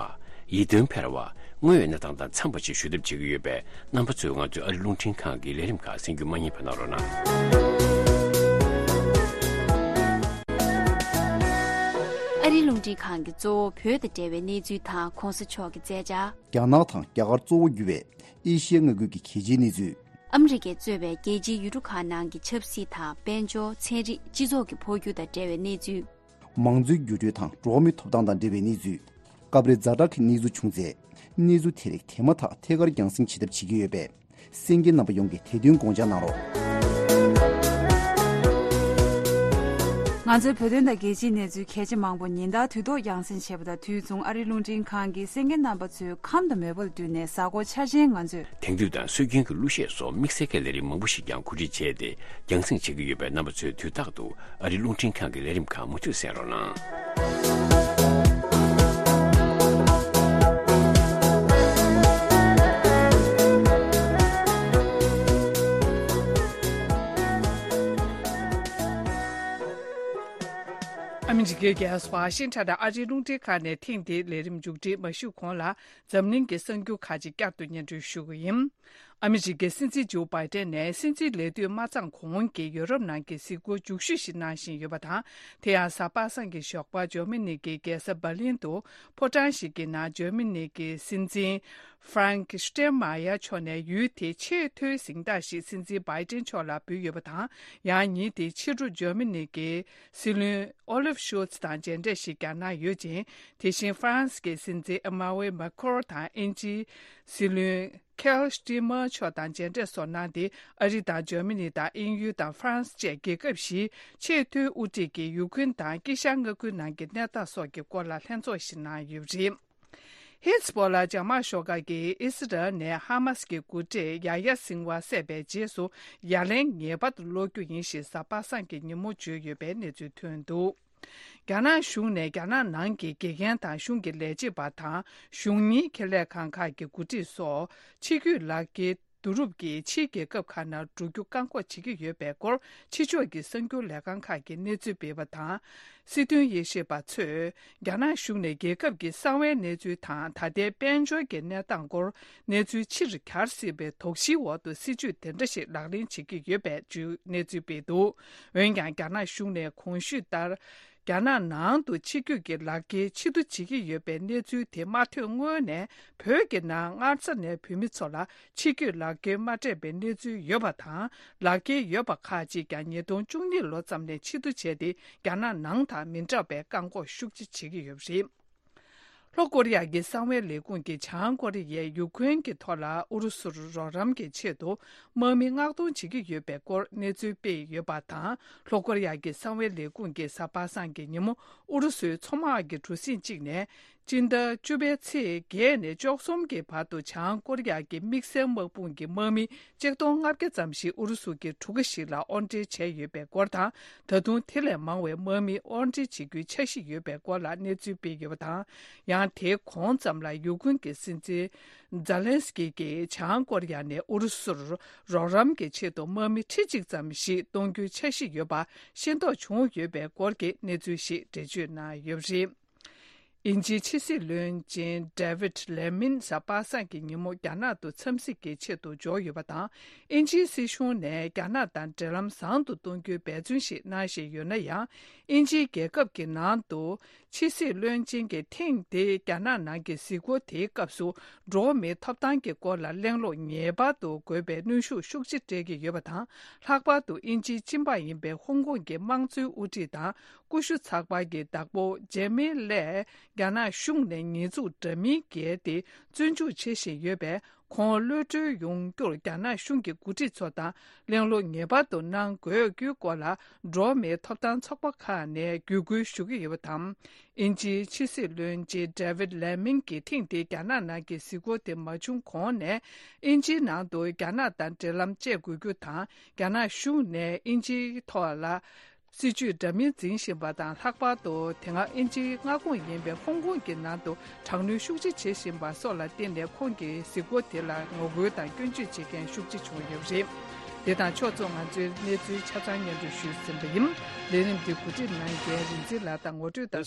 ཡིད་རྟོན་འཕེར་བ། དངོས་ཡོད་གནས་སྟངས་དང་འཚམས་པ་ཞིག་ཞུ་ཐབས་བྱེད་ཀྱི་ཡོད་པས། རྣམ་པ་ཚོས་ང་ཚོའི་ཨ་རིའི་རླུང་འཕྲིན་ཁང་གི་ལས་རིམ་ཁག་གསན་རྒྱུ་མ་བསྙེལ་བ་གནང་རོགས་གནང་། ཨ་རིའི་རླུང་འཕྲིན་ཁང་གིས་གཙོ་བོ་བོད་དང་འབྲེལ་བའི་གནས་ཚུལ་དང་གོང་ས་མཆོག་གི་མཛད་འཆར། རྒྱ་ནག་དང་རྒྱ་གར་གཙོ་བོ་གྱུར་བའི་ཨེ་ཤི་ཡའི་མངའ་ཁུལ་གྱི་གལ་ཆེའི་གནས་ཚུལ། ཨ་མི་རི་ཀས་གཙོས་པའི་རྒྱལ་སྤྱིའི་ཡུལ་གྲུ་ཁག་ནང་གི་ཆབ་སྲིད་དང་དཔལ་འབྱོར། ཚན་རིག་སྤྱི་ཚོགས་ཀྱི་འཕོ་འགྱུར་དང་འབྲེལ་བའི་གནས་ཚུལ། མང་གཙོའི་འགྱུར་འགྲོས་དང་འགྲོ་བ་མིའི་ཐོབ་ཐང་དང་འབྲེལ་བའི་གནས་ཚུལ། སྐབས་རེ་ཛ་དྲག་གི་གནས་ཚུལ་བྱུང་ཚེ། གནས་ཚུལ་དེ་རིགས་དེ་མ་ཐག་ཐད་ཀར་རྒྱང་སྲིང་བྱེད་ཐབས་བྱེད་ཀྱི་ཡོད་པས། གསན་མཁན་རྣམ་པ་ཡོངས་ཀྱིས་དེ་དོན་དགོངས་འཇགས་གནང་རོགས། ང་ཚོའི་བོད་དོན་དང་རྒྱལ་སྤྱིའི་གནས་ཚུལ་གལ་ཆེ་མང་པོ་ཉིན་ལྟར་དུས་ཐོག་རྒྱང་སྲིང་བྱེད་པ་དང་། དུས་མཚུངས་ཨ་རིའི་རླུང་འཕྲིན་ཁང་གིས་གསན་མཁན་རྣམ་པ་ཚོའི་ཁམས་དང་མོས་པ་ལ་བསྟུན་ནས་གཟའ་འཁོར་འཆར་ཅན་ང་ཚོས། དེང་དུས་དང་སྲོལ་རྒྱུན་གྱི་གླུ་གཞས་སོགས་དམིགས་བསལ་གྱི་ལས་རིམ་མང་པོ་ཞིག་ཀྱང་གོ་སྒྲིག་བྱས་ཏེ། རྒྱང་སྲིང་བྱེད་ཀྱི་ཡོད་པས། རྣམ་པ་ཚོས་དུས་རྟག་ཏུ་ཨ་རིའི་རླུང་འཕྲིན་ཁང་གི་ལས་རིམ་ཁག་མུ་མཐུད་གསན་རོགས་གནང་། ཨ་མི་རི་ཀའི་རྒྱལ་ས་ཝ་ཤིང་ཊོན་དུ་ཨ་རིའི་རླུང་འཕྲིན་ཁང་ནས་ཐེངས་འདིའི་ལས་རིམ་མཇུག་སྒྲིལ་མ་ཞུས་གོང་ལ། འཛམ་གླིང་གི་གསར་འགྱུར་ཁག་ཅིག་བསྐྱར་དུ་སྙན་སྒྲོན་ཞུ་གི་ཡིན། ཨ་མི་རི་ཀའི་སྲིད་འཛིན་ཇོ་བྷའི་ཏན་ནས་སྲིད་འཛིན་ལས་དུས་མ་ཚང་གོང་གི་ཡོ་རོབ་ནང་གི་གཟིགས་སྐོར་མཇུག་ཞུ་ཞིག་གནང་བཞིན་ཡོད་པ་དང་། དེ་ཡང་གཟའ་པ་སངས་ཀྱི་ཞོགས་པར་འཇར་མ་ནི་གི་རྒྱལ་ས་འབར་ལིན་དུ་ཕོ་བྲང་ཞིག་གི་ནང་འཇར་མ་ནི་གི་སྲིད་འཛིན་ཧྥ་རན་ཀི་ཤི་ཊེན་མ་ཡར་མཆོག་ནས་ཡུལ་དེའི་ཆེས་མཐོའི་གཟེངས་རྟགས་ཤིག་སྲིད་འཛིན་བྷའི་ཏན་མཆོག་ལ་འབུལ་ཡོད་པ་དང་། ཡང་ཉིན་དེའི་ཕྱི་དྲོ་འཇར་མ་ནི་གི་སྲིད་བློན་ཨོ་ལིབ་ཤོལ་ཚ་དང་མཇལ་འཕྲད་ཞིག་ཀྱང་གནང་ཡོད་ཅིང་། དེ་བཞིན་ཧྥ་རན་སི་གི་སྲིད་འཛིན་ཨེ་མ་ཝེ་མེ་ཁོར་དང་དབྱིན་ཇིའི་སྲིད་བློན་ཁེར་སི་ཊི་མར་མཆོག་དང་མཇལ་འཕྲད་སོགས་གནང་སྟེ། ཨ་རི་དང་འཇར་མ་ནི་དང་དབྱིན་ཡུལ་དང་ཧྥ་རན་སི་བཅས་རྒྱལ་ཁབ་བཞིའི་ཆེས་མཐོའི་དབུ་ཁྲིད་ཀྱིས་ཡུ་ཁུན་དང་དཀྱིལ་ཤར་མངའ་ཁུལ་ནང་གི་གནས་སྟངས་སོགས་ཀྱི་སྐོར་ལ་ལྷན་ཚོགས་ཤིག་གནང་ཡོད་པ་རེད། ཧི་ཛ་བྷོ་ལ་འཇབ་དམག་ཤོག་ཁག་གིས་ཨི་སི་རལ་ནས་ཧ་མ་སི་གི་འགོ་ཁྲིད་ཡ་ཡ་སིན་ཝ་བསད་པའི་རྗེས་སུ། ཡ་ལན་ངེས་པར་དུ་སློག་རྒྱུ་ཡིན་ཞེས་གཟའ་པ་སངས་ཀྱི་ཉིན་མོ་བརྗོད་ཡོད་པའི་གནས་ཚུལ་ཐོན་འདུག་རྒྱ་ནག་གཞུང་ནས་རྒྱ་ནག་ནང་གི་དགེ་རྒན་དང་གཞུང་གི་ལས་བྱེད་པ་དང་། གཞུང་གཉེར་ཁེ་ལས་ཁང་ཁག་གི་འགོ་ཁྲིད་སོགས་ཕྱི་སྐྱོད་ལག་འཁྱེར་བསྡུ་རུབ་ཀྱིས་ཕྱིའི་རྒྱལ་ཁབ་ཁག་ནང་འགྲོ་རྒྱུ་བཀག་འགོག་བྱེད་ཀྱི་ཡོད་པའི་སྐོར་ཕྱི་ཕྱོགས་ཀྱི་གསར་འགྱུར་ལས་ཁང་ཁག་གིས་གནས་ཚུལ་སྤེལ་བ་དང་། སྲིད་དོན་དབྱེ་ཞིབ་པ་ཚོས། རྒྱ་ནག་གཞུང་ནས་རྒྱལ་ཁབ་ཀྱི་གསང་བའི་གནས་ཚུལ་དང་། ད་ལྟའི་དཔལ་འབྱོར་གྱི་གནས་སྟངས་སྐོར་གནས་ཚུལ་ཕྱིར་གྱར་སྲིད་པའི་དོགས་གཞིའི་འོག་ཏུ་སྲིད་ཇུས་དེ་འདྲ་ཞིག་ལག་ལེན་བྱེད་ཀྱི་ཡོད་པའི་བརྗོད་གནས་ཚུལ་སྤེལ་འདུག་འོན་ཀྱང་། རྒྱ་ནག་གཞུང་ནས་གོང་ཞུས་ལྟར། རྒྱ་ནག་ནང་དུ་ཕྱི་སྐྱོད་ཀྱི་ལག་འཁྱེར་ཕྱིར་བསྡུ་བྱེད་ཀྱི་ཡོད་པའི་གནས་ཚུལ་དེ་མ་ཐོན་སྔོན་ནས། བོད་ཀྱི་ནང་སྔར་ས་ནས་བོད་མི་ཚོ་ལ་ཕྱི་སྐྱོད་ལག་འཁྱེར་མ་སྤྲད་པའི་གནས་ཚུལ་ཡོད་པ་དང་། ལག་འཁྱེར་ཡོད་པ་ཁག་ཅིག་ཀྱང་ཉིས་སྟོང་བཅུ་གཉིས་ལོ་ཙམ་ནས་ཕྱིར་བསྡུ་བྱས་ཏེ། རྒྱ་ནག་ནང་དང་མི་འདྲ་བའི་བཀག་འགོག་ཤུགས་ཆེ་བྱེད་ཀྱི་ཡོད་པ་རེད། ལྷོ་ཀོ་རི་ཡ་གི་གསང་བའི་ལས་ཁུངས་ཀྱིས་བྱང་ཀོ་རི་ཡས་ཡུ་ཁུན་གྱི་ཐོག་ལ་ཨུ་རུ་སུར་རོགས་རམ་གྱི་ཆེད་དུ་དམག་མི་མངགས་གཏོང་བྱེད་ཀྱི་ཡོད་པའི་སྐོར་གནས་ཚུལ་སྤེལ་ཡོད་པ་དང་། ལྷོ་ཀོ་རི་ཡ་གི་གསང་བའི་ལས་ཁུངས་ཀྱིས་གཟའ་པ་སངས་ཀྱི་ཉིན་མོ་ཨུ་རུ་སུའི་མཚོ་དམག་གི་གྲུ་གཟིངས་གཅིག་ནས། སྤྱི་ཟླ་བཅུ་པའི་ཚེས་བརྒྱད་ནས་བཅུ་གསུམ་གྱི་བར་དུ་བྱང་ཀོ་རི་ཡ་གི་དམིགས་བསལ་དམག་དཔུང་གི་དམག་མི་ཆིག་སྟོང་ལྔ་བརྒྱ་ཙམ་ཞིག་ཨུ་རུ་སུ་གྱི་གྲུ་ཁ་ཞིག་ལ་དབོར་འདྲེན་བྱས་ཡོད་པའི་སྐོར་དང་། ད་དུང་དེ་ལས་མང་བའི་དམག་མི་དབོར་འདྲེན་བྱེད་རྒྱུའི་འཆར་གཞི་ཡོད་པའི་སྐོར་ལ་གནས་ཚུལ་སྤེལ་ཡོད་པ་དང་། ཡང་དེའི་གོང་ཙམ་ལ་ཡུ་ཁུན་གྱི་སྲིད་འཛིན་ཛ་ལན་སི་ཀི་གིས་བྱང་ཀོ་རི་ཡ་ནས་ཨུ་རུ་སུར་རོགས་རམ་གྱི་ཆེད་དུ་དམག་མི་ཁྲི་གཅིག་ཙམ་ཞིག་གཏོང་རྒྱུའི་འཆར་གཞི་ཡོད་པ་ཤེས་རྟོགས་བྱུང་ཡོད་པའི་སྐོར་གྱི་གནས་ཚུལ་ཞིག་འགྲེལ་བརྗོད་གནང་ཡོད་པ་རེད། དབྱིན་ཇིའི་ཕྱི་སྲིད་བློན་ཆེན་David Lammy གཟའ་པ་སངས་ཀྱི་ཉིན་མོ་རྒྱ་ནག་ཏུ་འཚམས་གཟིགས་ཀྱི་ཆེད་དུ་འབྱོར་ཡོད་པ་དང་། དབྱིན་ཇིའི་སྲིད་གཞུང་ནས་རྒྱ་ནག་དང་འབྲེལ་ལམ་བཟང་དུ་གཏོང་རྒྱུའི་འབད་བརྩོན་ཞིག་གནང་བཞིན་ཡོད་ན་ཡང་། དབྱིན་ཇིའི་རྒྱལ་ཁབ་ཀྱི་ནང་དུ་ཕྱི་སྲིད་བློན་ཆེན་གྱི་ཐེངས་འདིའི་རྒྱ་ནག་ནང་གི་གཟིགས་སྐོར་དེའི་སྐབས་སུ། འགྲོ་བ་མིའི་ཐོབ་ཐང་གི་སྐོར་ལ་གླེང་སློང་ངེས་པར་དུ་དགོས་པའི་གནོན་ཤུགས་ཤུགས་ཆེ་སྤྲད་ཀྱི་ཡོད་པ་དང་། ལྷག་པར་དུ་དབྱིན་ཇིའི་སྤྱི་འབངས་ཡིན་པའི་ཧོང་ཀོང་གི་དམངས་གཙོའི་དབུ་ཁྲིད་དང་། ཀུ་ཤུ་ཚགས་པར་གྱི་བདག་པོ་ཇེ་མི་ལེས་རྒྱ་ནག་གཞུང་ནས་ཉེས་འཛུགས་འདྲ་མིན་བརྒལ་ཏེ་བཙོན་འཇུག་བྱེད་བཞིན་ཡོད་པས། ཁོང་གློད་གྲོལ་ཡོང་རྒྱུར་རྒྱ་ནག་གཞུང་གི་འགོ་ཁྲིད་ཚོ་དང་གླེང་སློང་ངེས་པར་དུ་གནང་དགོས་རྒྱུའི་སྐོར་ལ། འགྲོ་བ་མིའི་ཐོབ་ཐང་ཚོགས་པ་ཁག་ནས་བརྒྱུད་སྐུལ་ཞུ་གི་ཡོད་པ་དང་། དབྱིན་ཇིའི་ཕྱི་སྲིད་བློན་ཆེན་David Lammy གྱི་ཐེངས་འདིའི་རྒྱ་ནག་ནང་གི་གཟིགས་སྐོར་དེ་མ་བྱུང་གོང་ནས། དབྱིན་ཇིའི་ནང་དུ་རྒྱ་ནག་དང་འབྲེལ་ལམ་བཅད་དགོས་རྒྱུ་དང་། རྒྱ་ནག་གཞུང་ནས་དབྱིན་ཇིའི་ཐོག་ལ། སྲིད་ཇུས་འདྲ་མིན་འཛིན་བཞིན་པ་དང་། ལྷག་པར་དུ་དེ་སྔ་དབྱིན་ཇིའི་མངའ་ཁོངས་ཡིན་པའི་ཧོང་ཀོང་གི་ནང་དུ་དྲག་གནོན་ཤུགས་ཆེ་བྱེད་བཞིན་པ་སོགས་ལ་བརྟེན་ནས། ཁོང་གི་གཟིགས་སྐོར་དེ་ལ་ངོ་རྒོལ་དང་སྐྱོན་བརྗོད་བྱེད་མཁན་ཤུགས་ཆེ་བྱུང་ཡོད་པ་རེད། དེ་དང་ཕྱོགས་མཚུངས་ང་ཚོའི་གནས་ཚུལ་ཆ་ཚང་སྙན་སྒྲོན་ཞུས་ཟིན་པ་ཡིན། ལས་རིམ་འདི་གོ་སྒྲིག་གནང་མཁན་རིག་འཛིན་ལགས་དང་ངོ་སྤྲོད་དང་